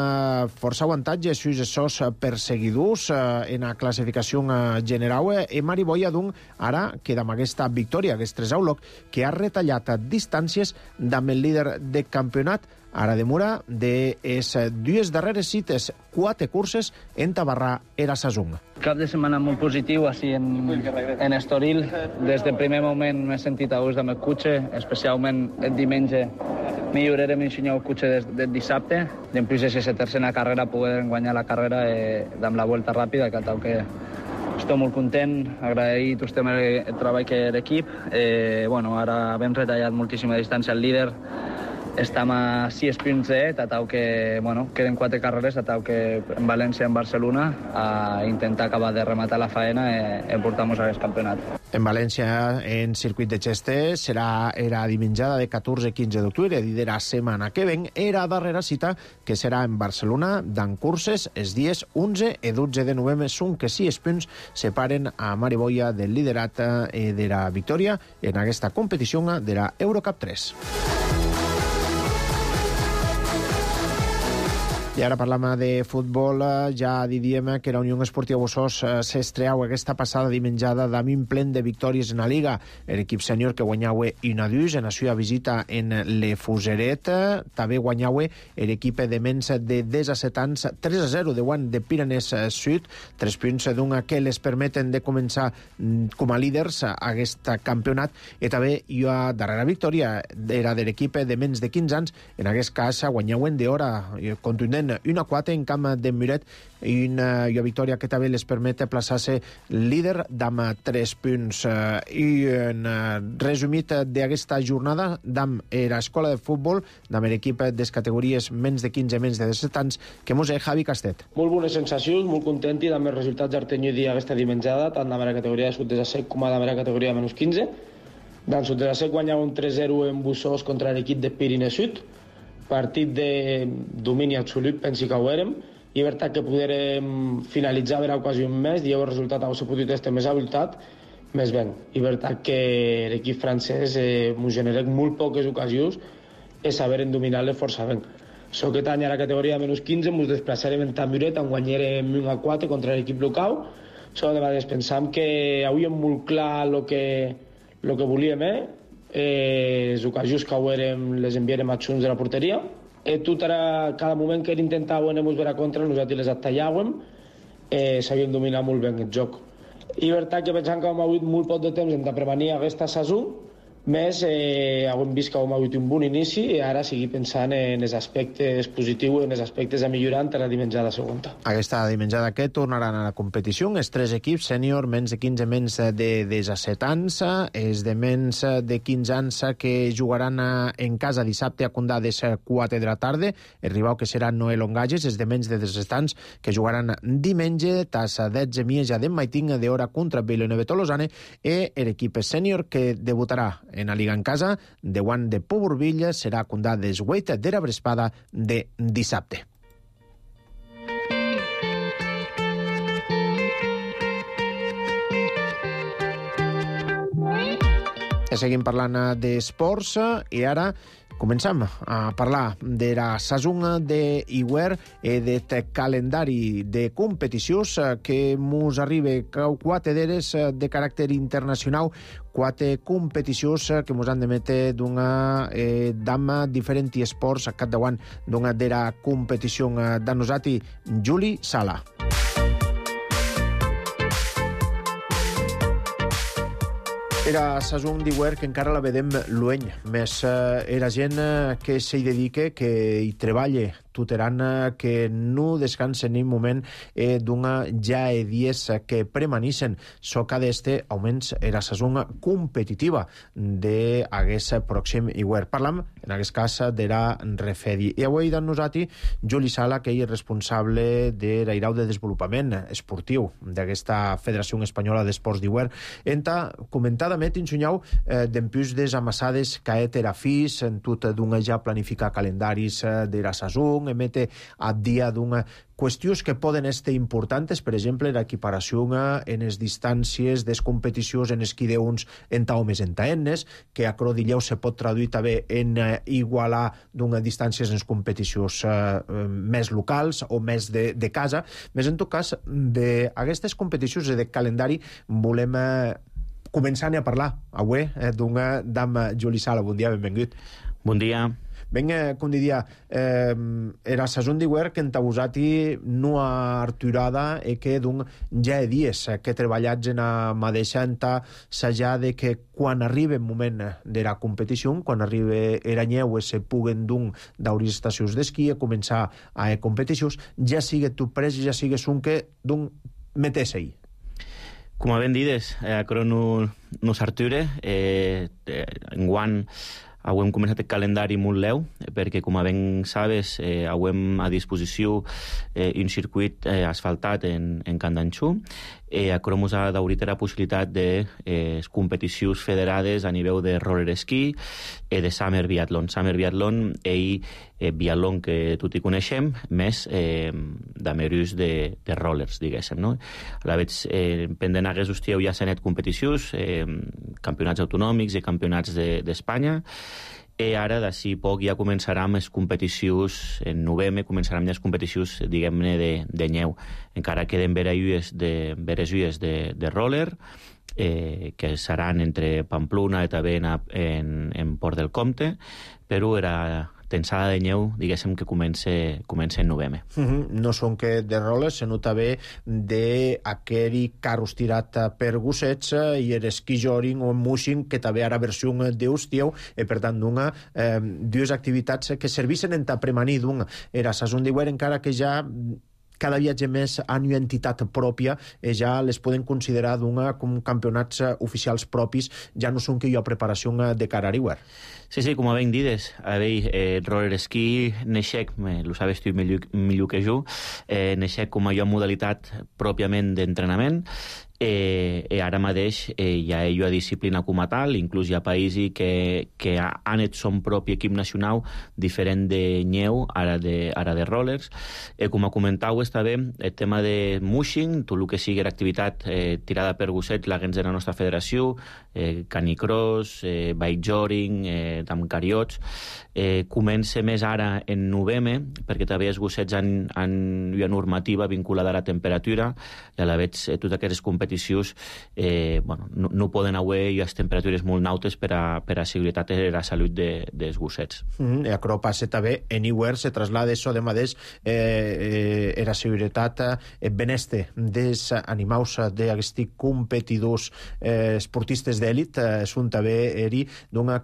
força avantatge sus els perseguidors en la classificació general. Mari Boia, doncs, ara queda amb aquesta victòria, aquest 3-0, que ha retallat distàncies amb el líder de campionat. Ara demora de les dues darreres cites, 4 curses en Tabarrà era Sasung. Cap de setmana molt positiu així en Estoril. Des del primer moment m'he sentit a gust amb el cotxe, especialment el diumenge millorarem ensenyar el cotxe del dissabte. Després de la tercera carrera poder guanyar la carrera amb la volta ràpida, que tal que estic molt content, agraït el treball que l'equip. Ara hem retallat moltíssima distància al líder. Estem a 6 punts tatau que, queden 4 carreres, tatau que en València i en Barcelona, a intentar acabar de rematar la faena i portar-nos a aquest campionat. En València, en circuit de Xeste, serà era dimenjada de 14 i 15 d'octubre, de la setmana que ven, era darrera cita, que serà en Barcelona, d'en curses, els dies 11 i 12 de novembre, són que 6 punts separen a Mari Boia del liderat de la victòria en aquesta competició de la Eurocup 3. I ara parlam de futbol. Ja diem que la Unió Esportiva Bossós s'estreau aquesta passada dimenjada d'un plen de victòries en la Liga. L'equip sènior que guanyau 1-2 en la seva visita en l'Efuseret. També guanyau l'equip de menys de 17 anys 3-0 davant de Piranès Sud. 3 punts d'una que les permeten de començar com a líders a aquest campionat. I també hi ha darrera victòria era de l'equip de menys de 15 anys. En aquest cas guanyauen d'hora contundent 1-4 en camp de Muret i una victòria que també les permet plaçar-se líder amb 3 punts. I en resumit d'aquesta jornada d'am l'escola de futbol d'am l'equip de les categories menys de 15 menys de 17 anys que mos Javi Castet. Molt bones sensacions, molt content i amb els resultats d'Artenyo dia aquesta dimenjada, tant amb la categoria de sud de sec com amb la categoria de menys 15. D'en sud de sec guanyava un 3-0 en Bossós contra l'equip de Pirineu Sud. Partit de domini absolut, pensi que ho érem, i és veritat que poderem finalitzar a l'ocasió més, i el resultat hauria pogut estar més avoltat, més ben. I és veritat que l'equip francès ens genera molt poques ocasions i saber dominar-les força ben. Aquest any a la categoria de menys 15 ens desplaçarem en Tamuret, on guanyarem 1-4 contra l'equip local. De vegades pensam que avui hem molt clar el que volíem, les ocasions que érem les enviarem a junts de la porteria. Tot ara, cada moment que intentàvem veure a contra, nosaltres les atallàvem, sabíem dominar molt bé el joc. I veritat que pensant que hem hagut molt poc de temps de prevenir aquesta saison, més hem vist que hem hagut un bon inici i ara seguir pensant en els aspectes positius, en els aspectes a millorar entre la dimenjada següent. Aquesta dimenjada que tornaran a la competició els 3 equips sènior, menys de 15, menys de 17 anys, els de menys de 15 anys que jugaran en casa dissabte a Condà de 4 de la tarda, el rival que serà Noel Ongages, els de menys de 17 anys que jugaran diumenge tas 10 Mieja de Maiting d'hora contra Vilanova Tolosane i l'equip sènior que debutarà en la Liga en casa, de Guant de Poborvilla serà Condà d'Esgueit de la Brespada de dissabte. seguim parlant d'esports i ara comencem a parlar de la saison d'hivern i del calendari de competicions que mos arriba 4 d'eres de caràcter internacional, 4 competicions que mos han de metre d'una dama diferents esports a capdavant d'una d'era competició de nosati, Juli Sala. Era saison d'hivern que encara la vedem lueny, més era gent que s'hi dedica, que hi treballa tuteran, que no descansen ni un moment d'una ja dies que premanissen soca d'este augments era saison competitiva d'aquest pròxim hivern. Parlam, en aquest cas, d'era refedi. I avui d'en nosati, Juli Sala, que és responsable de l'Airau de Desenvolupament Esportiu d'aquesta Federació Espanyola d'Esports d'Hivern, enta comentada insunyau d'empús des amassades caet era fis, en tot d'una ja planificar calendaris de la saison, emete a dia d'una qüestions que poden estar importants, per exemple, l'equiparació en les distàncies des competicions en esquideuns en homes en taennes, que a Crodilleu se pot traduir també en igualar d'una distàncies en les competicions més locals o més de casa. Més en tot cas, d'aquestes competicions de calendari volem començant a parlar avui d'una dama, Juli Sala. Bon dia, benvingut. Bon dia. Ben, com diria, era saison d'hivern que entabusati no arturada e que d'un ja dies que treballats en a mateixa enta s'ha de que quan arriba el moment de la competició, quan arriba era nyeu se puguen d'un d'auris estacions d'esquí a començar a competicions, ja sigue tu pres, ja sigues un que d'un metés-hi. Com a ben dides, aquerò no s'arture. Enguant hem començat el calendari molt leu, perquè, com a ben sabes, hem a disposició un circuit asfaltat en Candanxú. Aquerò mos ha d'obrir la possibilitat de competicions federades a nivell de roller ski i de Summer Biathlon. Summer Biathlon és biatlon que tot hi coneixem, més d'amerús de rollers, diguéssim, no? A la vegada, pendent hagués hostieu ja s'han net competicions, campionats autonòmics i campionats d'Espanya, i ara d'ací poc ja començarem les competicions, en novembre començarem les competicions, diguem-ne, de nyeu. Encara queden veres lluies de roller, que seran entre Pamplona i també en Port del Comte, però era tensada de nyeu, diguéssim, que comença en novembre. No són que de roles, sinó també d'aquell carros tirat per gossets i l'esquí joring o mushing, que també ara versió d'hostieu, i per tant dues activitats que servissen en premanir era saison d'hivern, encara que ja cada viatge més han una entitat pròpia i ja les poden considerar com campionats oficials propis, ja no són que hi ha preparació de cara a l'hivern. Sí, com a ben dides, roller ski neixec, lo sabes tu millor que jo, neixec com a modalitat pròpiament d'entrenament, i ara mateix hi ha una disciplina com a tal, inclús hi ha països que han et son propi equip nacional diferent de nyeu, ara de rollers. Com a comentau, està bé el tema de mushing, tot el que sigui l'activitat tirada per gossets, la gens de la nostra federació, canicross, bike joring, amb cariots, comença més ara en novembre, perquè també els gossets han una normativa vinculada a la temperatura, i a la vegada totes aquestes competicions no poden haver les temperatures molt nautes per a seguretat i la salut dels gossets. I això passa també en hivern, se traslada això de mateix la seguretat beneste dels animals d'aquests competidors esportistes d'èlit, són també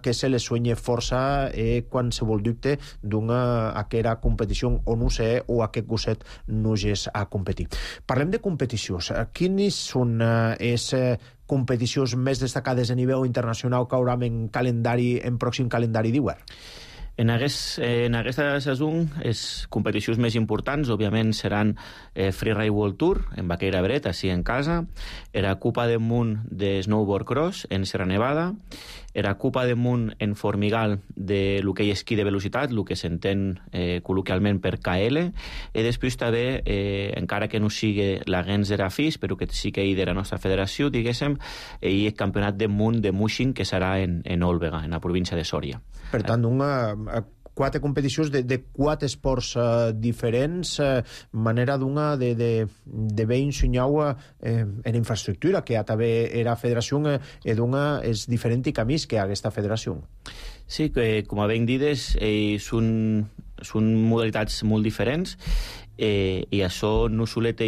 que se les sueña força qualsevol dubte d'aquesta competició o no sé, o aquest gosset no és a competir. Parlem de competicions. Quines són les competicions més destacades a nivell internacional que haurem en pròxim calendari d'hivern? En aquesta saison, les competicions més importants, òbviament, seran Freeride World Tour, en Baqueira Bret, així en casa, era Copa del Món de Snowboard Cross, en Sierra Nevada, era Copa del Món en Formigal de l'hoquei esquí de velocitat, el que s'entén col·loquialment per KL, i després també, encara que no sigui la Gens era FIS, però que sí que hi de la nostra federació, diguéssim, i el Campionat del Món de Mushing, que serà en Òlvega, en la província de Sòria. Per tant, quatre competicions de quatre esports diferents, manera de bé ensenyar en infraestructura, que també era federació és diferent i camins que aquesta federació. Sí, que com ben dides, són modalitats molt diferents, i això no solet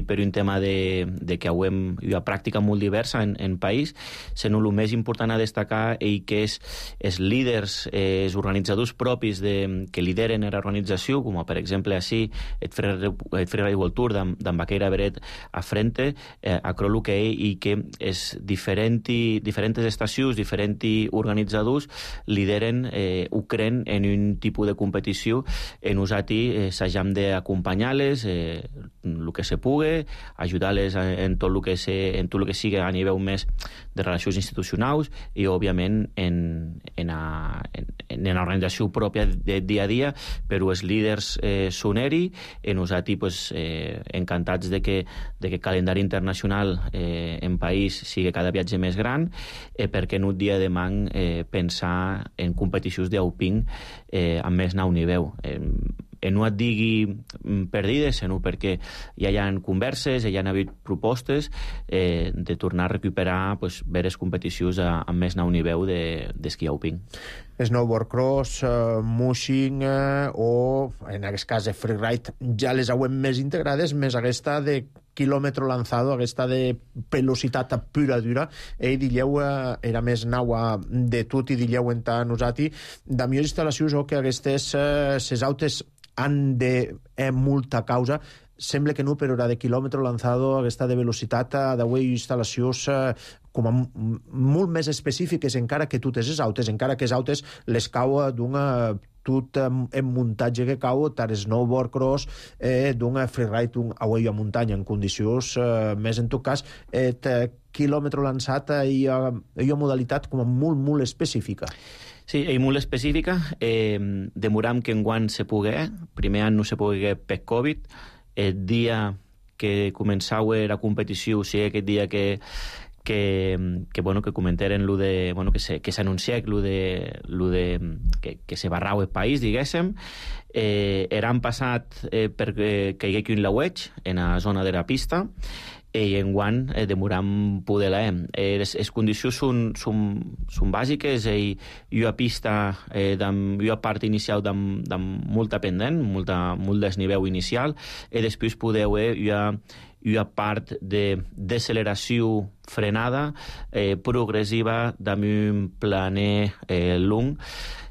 per un tema de que hauem una pràctica molt diversa en país, sinó el més important a destacar que és els líders, els organitzadors propis que lideren l'organització, com per exemple així el Freeride World Tour d'en Baqueira Bret a frente, a Crollo que i que és diferents estacions, diferents organitzadors lideren ho creen en un tipus de competició en nosaltres s'hagam d'acompanyar-les el que se pugui, ajudar-les en tot el que sigui a nivell més de relacions institucionals i, òbviament, en l'organització pròpia de dia a dia, però els líders són i nosaltres encantats de que el calendari internacional en país sigui cada viatge més gran, perquè no dia de demà pensar en competicions d'Auping amb més nou nivell. No et digui perdides, sinó perquè ja hi ha converses, ja hi ha hagut propostes de tornar a recuperar veres competicions amb més nou nivell d'esquí alpí. Snowboard cross, mushing o, en aquest cas, freeride, ja les hauem més integrades, més aquesta de quilòmetre lanzado, aquesta de velocitat pura dura, dilleu era més naua de tot i dilleu entre nosaltres, de millors instal·lacions o que aquestes ses autes han de molta causa, sembla que no, però era de quilòmetre lanzado, aquesta de velocitat, d'avui instal·lacions com a molt més específiques, encara que totes les autes, encara que les autes les cau d'una tot en muntatge que cau, tant snowboard cross, d'un freeride, avui a muntanya, en condicions més, en tot cas, quilòmetre lançat i una modalitat com a molt, molt específica. Sí, és molt específica. Demoram que enguany se pugui. Primer any no se pugui per Covid. El dia que començava la competició, o sigui, aquest dia que comentaren que s'anuncià que se barrau el país, diguéssim, eran passat perquè hi hagués un laueig en la zona de la pista i enguany demoram poder-la. Les condicions són bàsiques, i una pista una part inicial de molta pendent, molt desnivell inicial, i després podeu una part de deceleració frenada progressiva d'un planer long,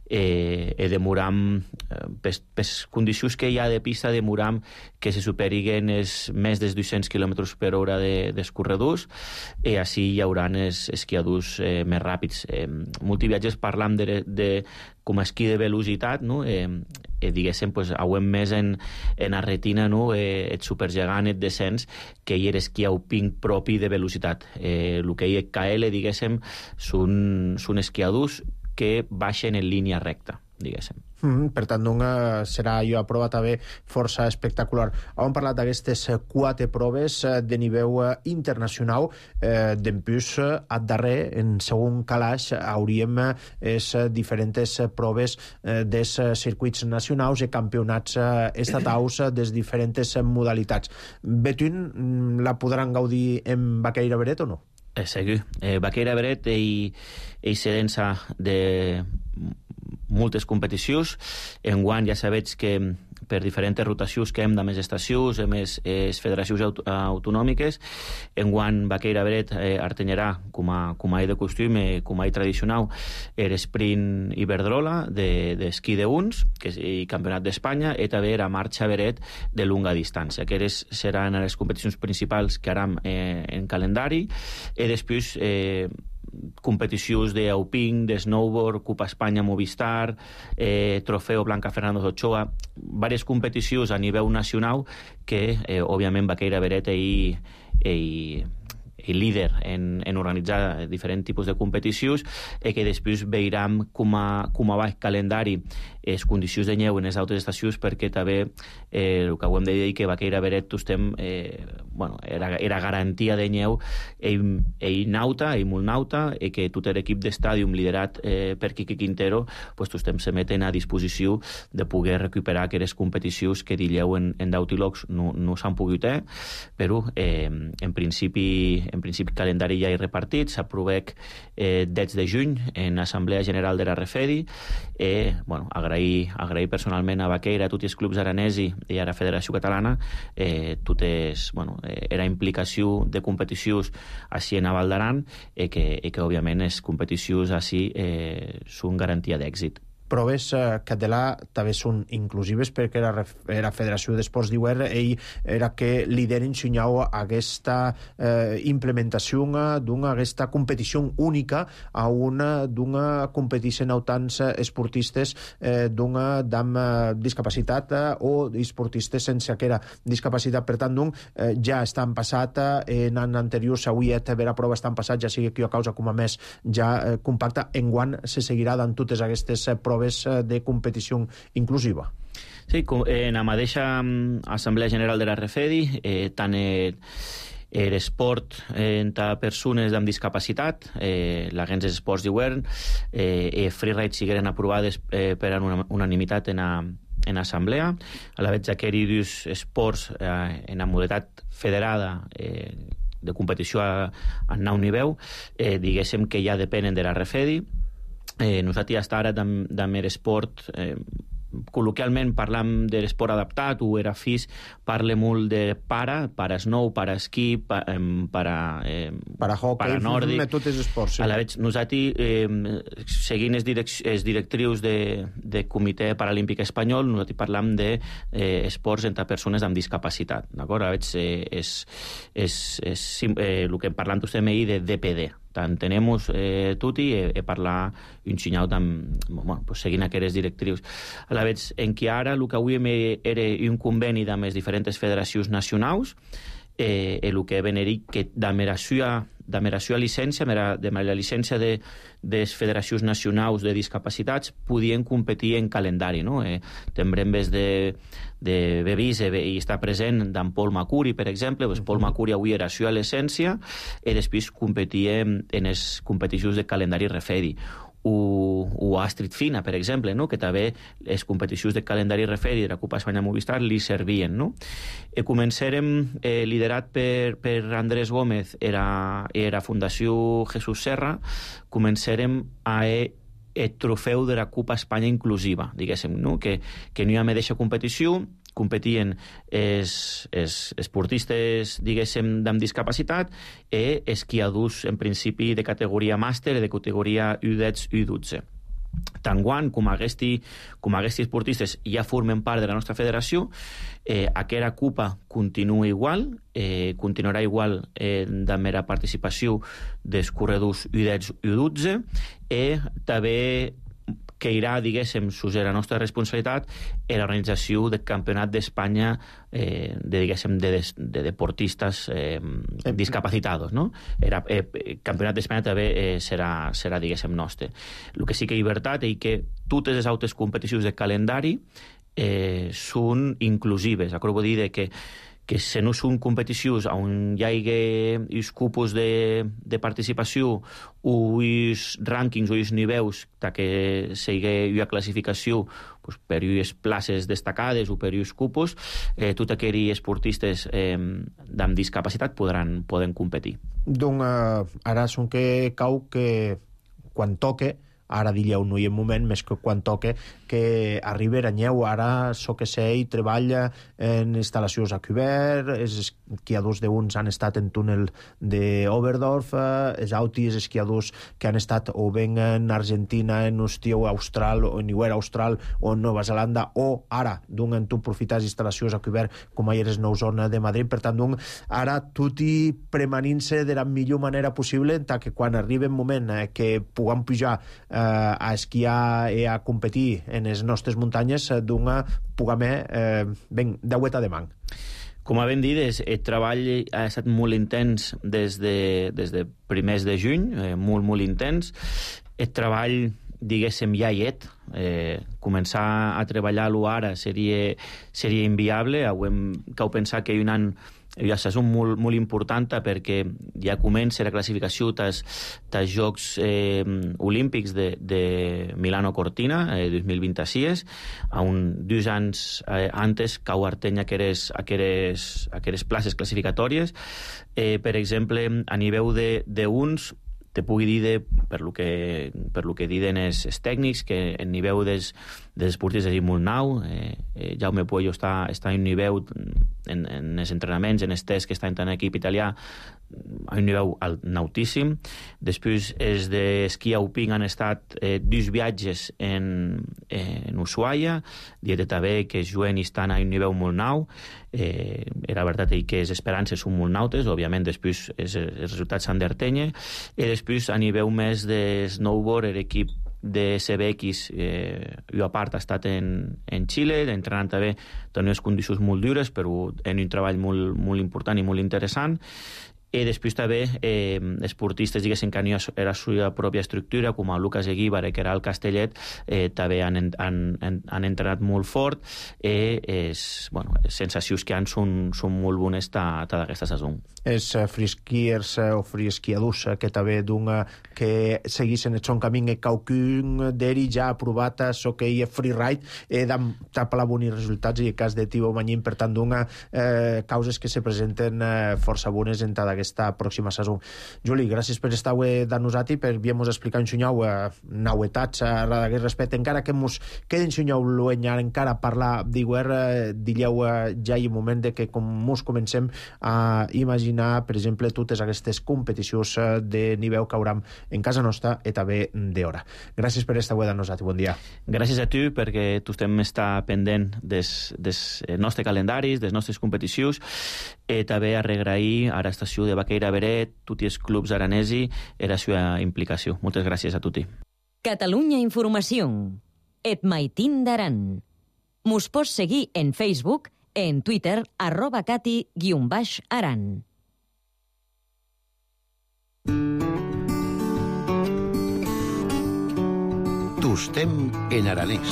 demoram les condicions que hi ha de pista, demoram que se superiguen més de 200 km per hora d'escorredors, i així hi haurà els esquiadors més ràpids. Molts viatges parlam de com a esquí de velocitat, no? Diguéssim, hauem més en la retina, no? El supergegant, el descens, que hi era esquí alpí propi de velocitat. El que hi ha KL, diguéssim, són esquiadors que baixen en línia recta, diguéssim. Per tant, serà jo a prova també força espectacular. Hem parlat d'aquestes 4 proves de nivell internacional. D'empús, a darrer, en segon calaix, hauríem diferents proves dels circuits nacionals i campionats estatals des diferents modalitats. Betún, la podran gaudir en Baqueira Bret o no? Segur. Baqueira Bret i sedença de moltes competicions. Enguany ja sabeu que per diferents rotacions que hem de més estacions, més federacions autonòmiques. Enguany Baqueira Bret artenyarà, com a de costum, com a tradicional, l'esprint Iberdrola d'esquí d'uns, que és el campionat d'Espanya, i també la marxa Beret de longa distància. Aquestes seran les competicions principals que haram en calendari, i després competicions d'Auping, de snowboard, Copa Espanya Movistar, Trofeo Blanca Fernando Ochoa, diverses competicions a nivell nacional que, òbviament, Baqueira Beret i líder en organitzar diferents tipus de competicions i que després veurem com va el calendari les condicions de neu en les altres estacions, perquè també el que ho hem de dir que Baqueira Beret era garantia de neu ell nauta, ell molt nauta, i que tot l'equip d'estàdium liderat per Quique Quintero estem se meten a disposició de poder recuperar aquelles competicions que dileu en d'Autilogs no s'han pogut però en principi calendari ja hi repartit, s'aprovec 10 de juny en Assemblea General de la Refedi agrair personalment a Baqueira, a tots els clubs aranesi i a la Federació Catalana era implicació de competicions així en Val d'Aran i que òbviament les competicions així són garantia d'èxit. Proves català també són inclusives perquè la Federació d'Esports d'Iuer era que lideren signau aquesta implementació d'aquesta competició única a d'una competició en tants esportistes amb discapacitat o esportistes sense aquella discapacitat. Per tant, ja estan passat en any anterior s'hauria de veure prova estan passat, ja sigui que a causa com a més ja compacta. Enguany se seguirà dant totes aquestes proves de competició inclusiva. Sí, en la mateixa Assemblea General de la Refedi, tant l'esport entre persones amb discapacitat, l'Agència d'Esports d'Iuern i Freeride sigueren aprovades per unanimitat en assemblea. A la vegada que aquests esports en la modalitat federada de competició a nou nivell, diguéssim que ja depenen de la Refedi. Nosaltres hasta ara de l'esport col·loquialment parlam de l'esport adaptat o era FIS, parla molt de para-snow, para-esquí, para-hockey, tots els esports. A la vegada, nosaltres, seguint els directrius de Comitè Paralímpic Espanyol, nosaltres parlam d'esports entre persones amb discapacitat. D'acord? A la vegada, el que parlam tots ahir de DPD. Tant tenem tutti e parlar un senyal seguint aquestes directrius. A la vegada, en què ara el que avui era un conveni amb les diferents federacions nacionals, el que veneria que de la llicència, de la llicència de les federacions nacionals de discapacitats podien competir en calendari. Tindrem vez de Bevís i està present d'en Paul Macuri, per exemple. Paul Macuri avui era a l'essència i després competia en les competicions de calendari Refedi. O Astrid Fina, per exemple, que també les competicions de calendari Refedi de la Copa Espanya Movistar li servien. Començarem liderat per Andrés Gómez i la Fundació Jesús Serra, començarem a el trofeu de la Copa Espanya Inclusiva, diguéssim, que no hi ha mateixa competició, competien esportistes, diguéssim, amb discapacitat i esquiadors, en principi, de categoria màster i de categoria U10, U12. Tant com aquests esportistes ja formen part de la nostra federació, aquesta Copa continua igual, continuarà igual amb la participació dels corredors U10, U12 i també que irà, diguéssim, sous la nostra responsabilitat en l'organització del Campionat d'Espanya de deportistes discapacitados. El Campionat d'Espanya també serà, diguéssim, nostre. El que sí que hi ha veritat és que totes les altres competicions de calendari són inclusives. Vull dir que si no són competicions on hi hagi els cupos de participació o els rànquings o els nivells que sigui una classificació per les places destacades o per els cupos, tots aquells esportistes amb discapacitat poden competir. Doncs ara són que cau que quan toque, ara diríeu no hi ha moment, més que quan toque que arriba a Nyeu, ara so que sé, i treballa en instal·lacions a cobert, els esquiadors d'uns han estat en túnel d'Oberdorf, els altres esquiadors que han estat o ben en Argentina, en Ostió Austral, o en Iguera Austral, o en Nova Zelanda, o ara, d'un en tu profitar instal·lacions a cobert, com ahir és Nou Zona de Madrid, per tant, d'un ara tot i premanint-se de la millor manera possible, tant que quan arribi el moment que puguem pujar a esquiar i a competir en les nostres muntanyes, d'un puguem ben d'agüeta de man. Com ben dit, el treball ha estat molt intens des de primers de juny, molt intens. El treball, diguéssim, ja hi és. Començar a treballar-lo ara seria inviable. Cal pensar que un any ja és molt important perquè ja comença la classificació dels Jocs Olímpics de Milano-Cortina 2026, on 2 anys antes cau Artenya aqueres places classificatòries. Per exemple, a nivell d'uns, te pugui dir, per lo que diuen els tècnics, que el nivell dels esportistes és molt nou. Jaume Puello està a un nivell en els entrenaments, en els tests que està en l'equip italià, a un nivell altíssim. Després, els d'esquí alpí han estat 2 viatges en Ushuaia, dieta també que els juguen estan a un nivell molt nou. Era veritat que les esperances són molt nautes, òbviament després els resultats s'han d'Artenya, i després a nivell més de snowboard l'equip de CBX a part ha estat en Xile, entrenant també en unes condicions molt dures, però en un treball molt important i molt interessant. I després també esportistes, diguéssim, que han la seva pròpia estructura, com el Lucas Eguíbar, que era el Castellet, també han entrenat molt fort, i les sensacions que han són molt bones tota aquesta saison. Els freeskiers o freeskiadors que també que seguissin el seu camí, qualcun d'ells ja ha aprovat l'hoquei freeride, d'aplar bons resultats, i el cas de Thibaut Magnin, per tant, causes que se presenten força bones en tota aquesta pròxima saison. Juli, gràcies per estar avui de nosaltres, per haver-nos explicat en xunyau novetats a aquest respecte. Encara que ens queden xunyau l'uenyar, encara parlar d'iguer, dileu ja hi ha un moment que com ens comencem a imaginar, per exemple, totes aquestes competicions de nivell que hauram en casa nostra i també d'hora. Gràcies per estar avui de nosaltres. Bon dia. Gràcies a tu, perquè tu estem estar pendent dels nostres calendaris, des nostres competicions, i també a regrair a l'estació de Baqueira Beret, tots els clubs aranesi, i la seva implicació. Moltes gràcies a tutti. Catalunya Informació. Et maitín d'Aran. Mos pots seguir en Facebook, en Twitter, @cati_aran. Tostem en aranès.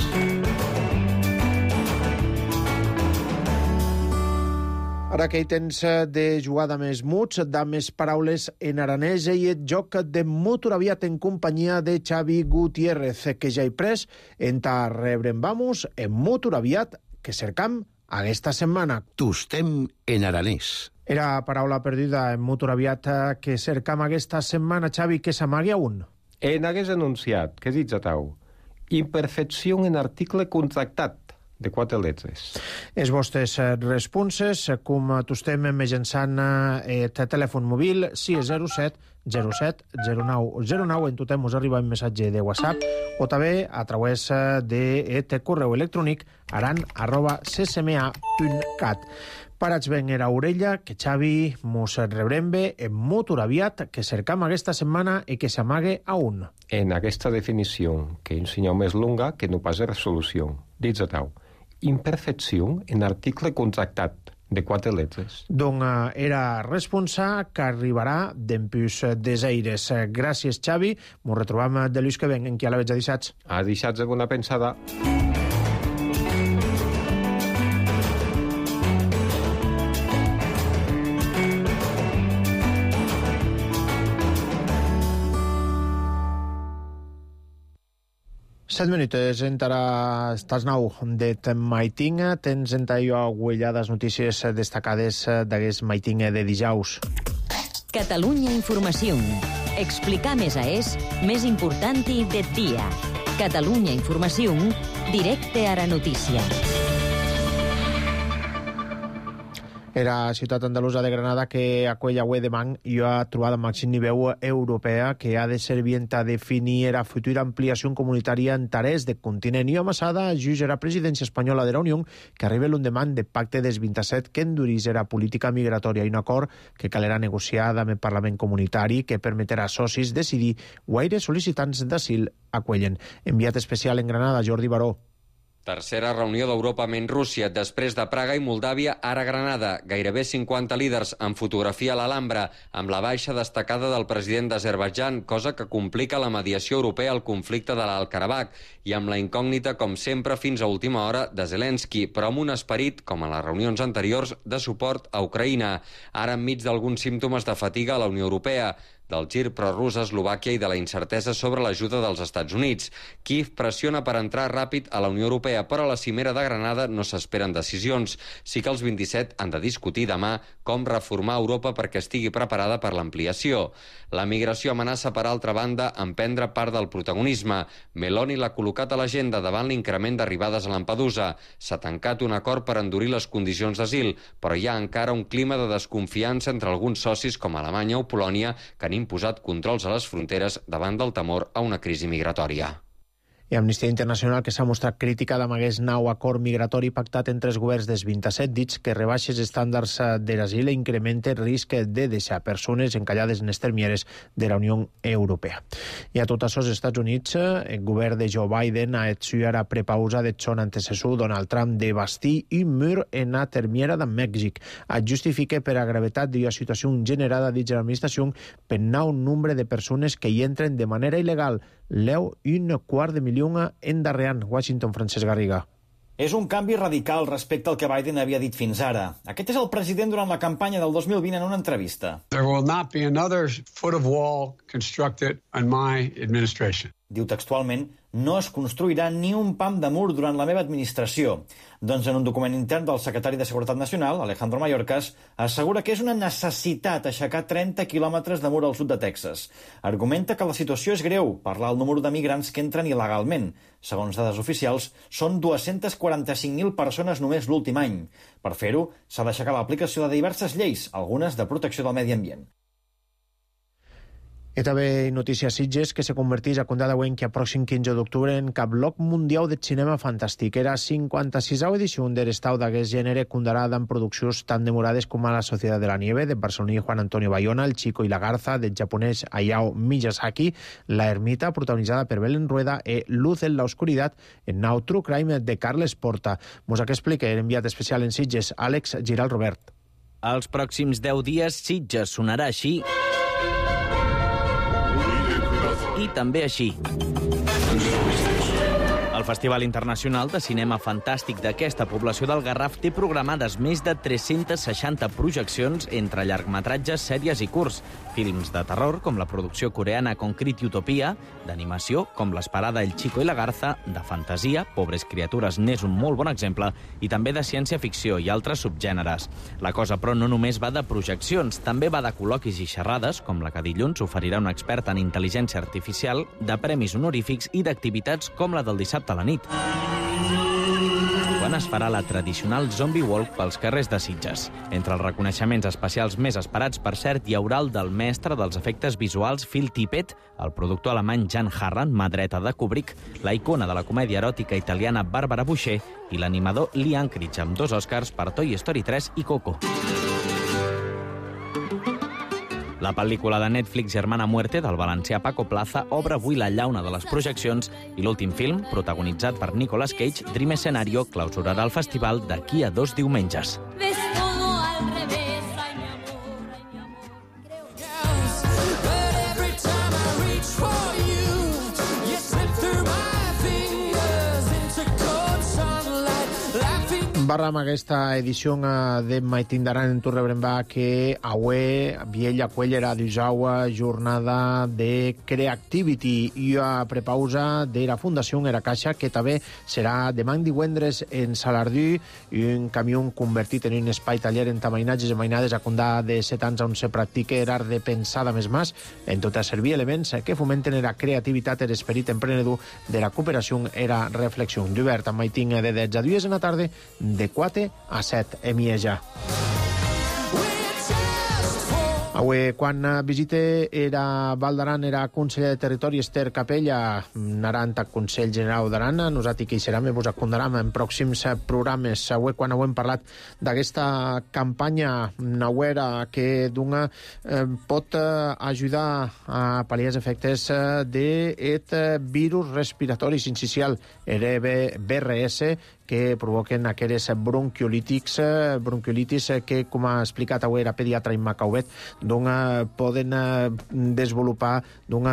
Ara que hi tens de jugar de més muts, de més paraules en aranès, i el joc de motoraviat en companyia de Xavi Gutiérrez, que ja he pres en ta rebre'n vamos en motoraviat que cercam aquesta setmana. Tostem en aranès. Era paraula perdida en motoraviat que cercam aquesta setmana, Xavi, que s'amagui a un. En hagués anunciat, què dius a tau? Imperfecció en article contractat, de 4 lletres. Els vostres responses, com t'estem mitjançant el telèfon mòbil 607 07 09 en tothom us arriba un missatge de WhatsApp, o també a través de correu electrònic aran@ccma.cat. Parats ben era orella, que Xavi mos rebrem bé en motoraviat que cercam aquesta setmana i que s'amague a un. En aquesta definició, que un senyal més longa que no pas resolució, dius a tau. Imperfecció en article contractat, de 4 lletres. Donc era responsa que arribarà d'empús desaires. Gràcies, Xavi. M'ho retrobam de l'ús que ven, en qui a la veig a dissats. A dissats de bona pensada. Set minuts, encara estàs nou de maiting. Tens entallo agüellades notícies destacades d'aquest maiting de dijous. Catalunya Informació. Explicar més a és més important i de dia. Catalunya Informació Directe Ara Notícia. Era ciutat andalusa de Granada que acull avui demà i ha trobat el màxim nivell europea que ha de servir a definir la futura ampliació comunitària en tarés de continent. I amassada jutge la presidència espanyola de la Unió que arriba l'endemà de pacte des 27 que endurís la política migratòria i un acord que calerà negociar amb el Parlament comunitari que permetrà als socis decidir guaire sol·licitants d'asil acollen. Enviat especial en Granada, Jordi Baró. Tercera reunió d'Europa menys Rússia, després de Praga i Moldàvia, ara Granada. Gairebé 50 líders en fotografia a l'Alhambra, amb la baixa destacada del president d'Azerbaidjan, cosa que complica la mediació europea al conflicte de l'Alt-Karabakh, i amb la incògnita, com sempre, fins a última hora, de Zelensky, però amb un esperit, com a les reunions anteriors, de suport a Ucraïna. Ara enmig d'alguns símptomes de fatiga a la Unió Europea, del gir prorús a Eslovàquia i de la incertesa sobre l'ajuda dels Estats Units. Kíev pressiona per entrar ràpid a la Unió Europea, però a la cimera de Granada no s'esperen decisions. Sí que els 27 han de discutir demà com reformar Europa perquè estigui preparada per l'ampliació. La migració amenaça, per altra banda, en prendre part del protagonisme. Meloni l'ha col·locat a l'agenda davant l'increment d'arribades a Lampedusa. S'ha tancat un acord per endurir les condicions d'asil, però hi ha encara un clima de desconfiança entre alguns socis com Alemanya o Polònia que han imposat controls a les fronteres davant del temor a una crisi migratòria. I Amnistia Internacional que s'ha mostrat crítica d'amagués nou acord migratori pactat entre els governs dels 27 dits que rebaixa els estàndards de l'asil i incrementa el risc de deixar persones encallades en les termieres de la Unió Europea. I a tot això, als Estats Units, el govern de Joe Biden ha estudiat la prepausa de son antecessor Donald Trump de bastir un mur en la termiera de Mèxic. Es justifica per la gravetat de la situació generada dins de l'administració per nou nombre de persones que hi entren de manera il·legal. Leu $250,000 endarrerant. Washington, Francesc Garriga. És un canvi radical respecte al que Biden havia dit fins ara. Aquest és el president durant la campanya del 2020 en una entrevista. There will not be another foot of wall constructed in my administration. Diu textualment, no es construirà ni un pam de mur durant la meva administració. Doncs en un document intern del secretari de Seguretat Nacional, Alejandro Mayorkas, assegura que és una necessitat aixecar 30 quilòmetres de mur al sud de Texas. Argumenta que la situació és greu per l'alt número de migrants que entren il·legalment. Segons dades oficials, són 245.000 persones només l'últim any. Per fer-ho, s'ha d'aixecar l'aplicació de diverses lleis, algunes de protecció del medi ambient. I també notícies Sitges, que se converteix a contar d'avui que a pròxim 15 d'octubre en cap bloc mundial de cinema fantàstic. Era 56a edició de l'estau d'aquest gènere condarada en produccions tan demorades com a La Societat de la Nieve, de barceloní Juan Antonio Bayona, El Chico i la Garza, del japonès Hayao Miyazaki, La Ermita, protagonitzada per Belén Rueda, i Luz en la Oscuridad, en nou True Crime de Carles Porta. Mos que explica l'enviat especial en Sitges, Àlex Giral Robert. Els pròxims 10 dies Sitges sonarà així i també així. El Festival Internacional de Cinema Fantàstic d'aquesta població del Garraf té programades més de 360 projeccions entre llargmetratges, sèries i curts, films de terror, com la producció coreana Concrete Utopia, d'animació, com l'esperada El Chico i la Garza, de fantasia, Pobres criatures n'és un molt bon exemple, i també de ciència-ficció i altres subgèneres. La cosa, però, no només va de projeccions, també va de col·loquis i xerrades, com la que dilluns oferirà un expert en intel·ligència artificial, de premis honorífics i d'activitats com la del dissabte a la nit, quan es farà la tradicional Zombie Walk pels carrers de Sitges. Entre els reconeixements especials més esperats, per cert, hi haurà el del mestre dels efectes visuals Phil Tippett, el productor alemany Jan Harran, mà dreta de Kubrick, la icona de la comèdia eròtica italiana Barbara Boucher i l'animador Lee Anchorage, amb 2 Oscars per Toy Story 3 i Coco. La pel·lícula de Netflix Hermana Muerte, del valencià Paco Plaza, obre avui la llauna de les projeccions i l'últim film, protagonitzat per Nicolas Cage, Dream Escenario, clausurarà el festival d'aquí a 2 diumenges. Barram aquesta edició de Maitindaran en Turrebrembà que avui Viella Cuellera d'Usaua jornada de Creativity i a prepausa de la Fundació Era Caixa que també serà demà divendres en Salardú i un camió convertit en un espai taller en mainatges i mainades a condà de 7 anys on se practica l'art de pensada més mas en tot a servir elements que fomenten la creativitat i l'esperit emprenedor de la cooperació i la reflexió. D'obert amb Maiting de 10 a 2 en la tarda de 4 a 7 a Mieja. Avui, quan visite era Val d'Aran, era conseller de Territori Esther Capella, anant a Consell General d'Aran, nosaltres que hi serem i vos acondaram en pròxims programes. Avui, quan hem parlat d'aquesta campanya nauera que d'una pot ajudar a pal·liar els efectes d'aquest virus respiratori sincicial, BRS, que provoquen aquelles bronquiolitis que, com ha explicat avui la pediatra Imma Cauvet, poden desenvolupar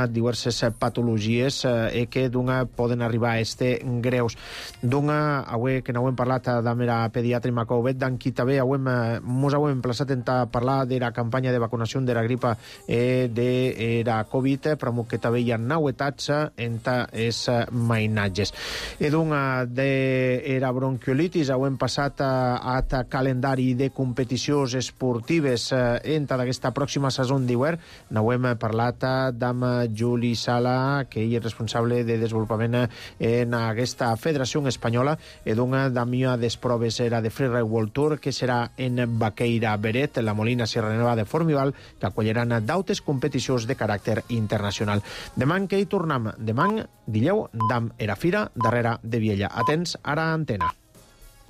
diverses patologies i que poden arribar a estar greus. Avui que no hem parlat amb la pediatra Imma Cauvet, qui també ens hem emplaçat a parlar de la campanya de vacunació de la gripa i de la Covid, però que també hi ha novetats en els mainatges. I de la bronquiolitis hem passat a calendari de competicions esportives entre d'aquesta pròxima saison d'hivern. N'hem parlat amb Juli Sala, que ell és responsable de desenvolupament en aquesta federació espanyola i d'una d'amia des proves era de Freeride World Tour, que serà en Baqueira Beret, la Molina Sierra Nevada de Formival, que acolliran d'altres competicions de caràcter internacional. Demà que hi tornem, demà, dileu, d'am era fira darrere de Viella. Atents, ara antena.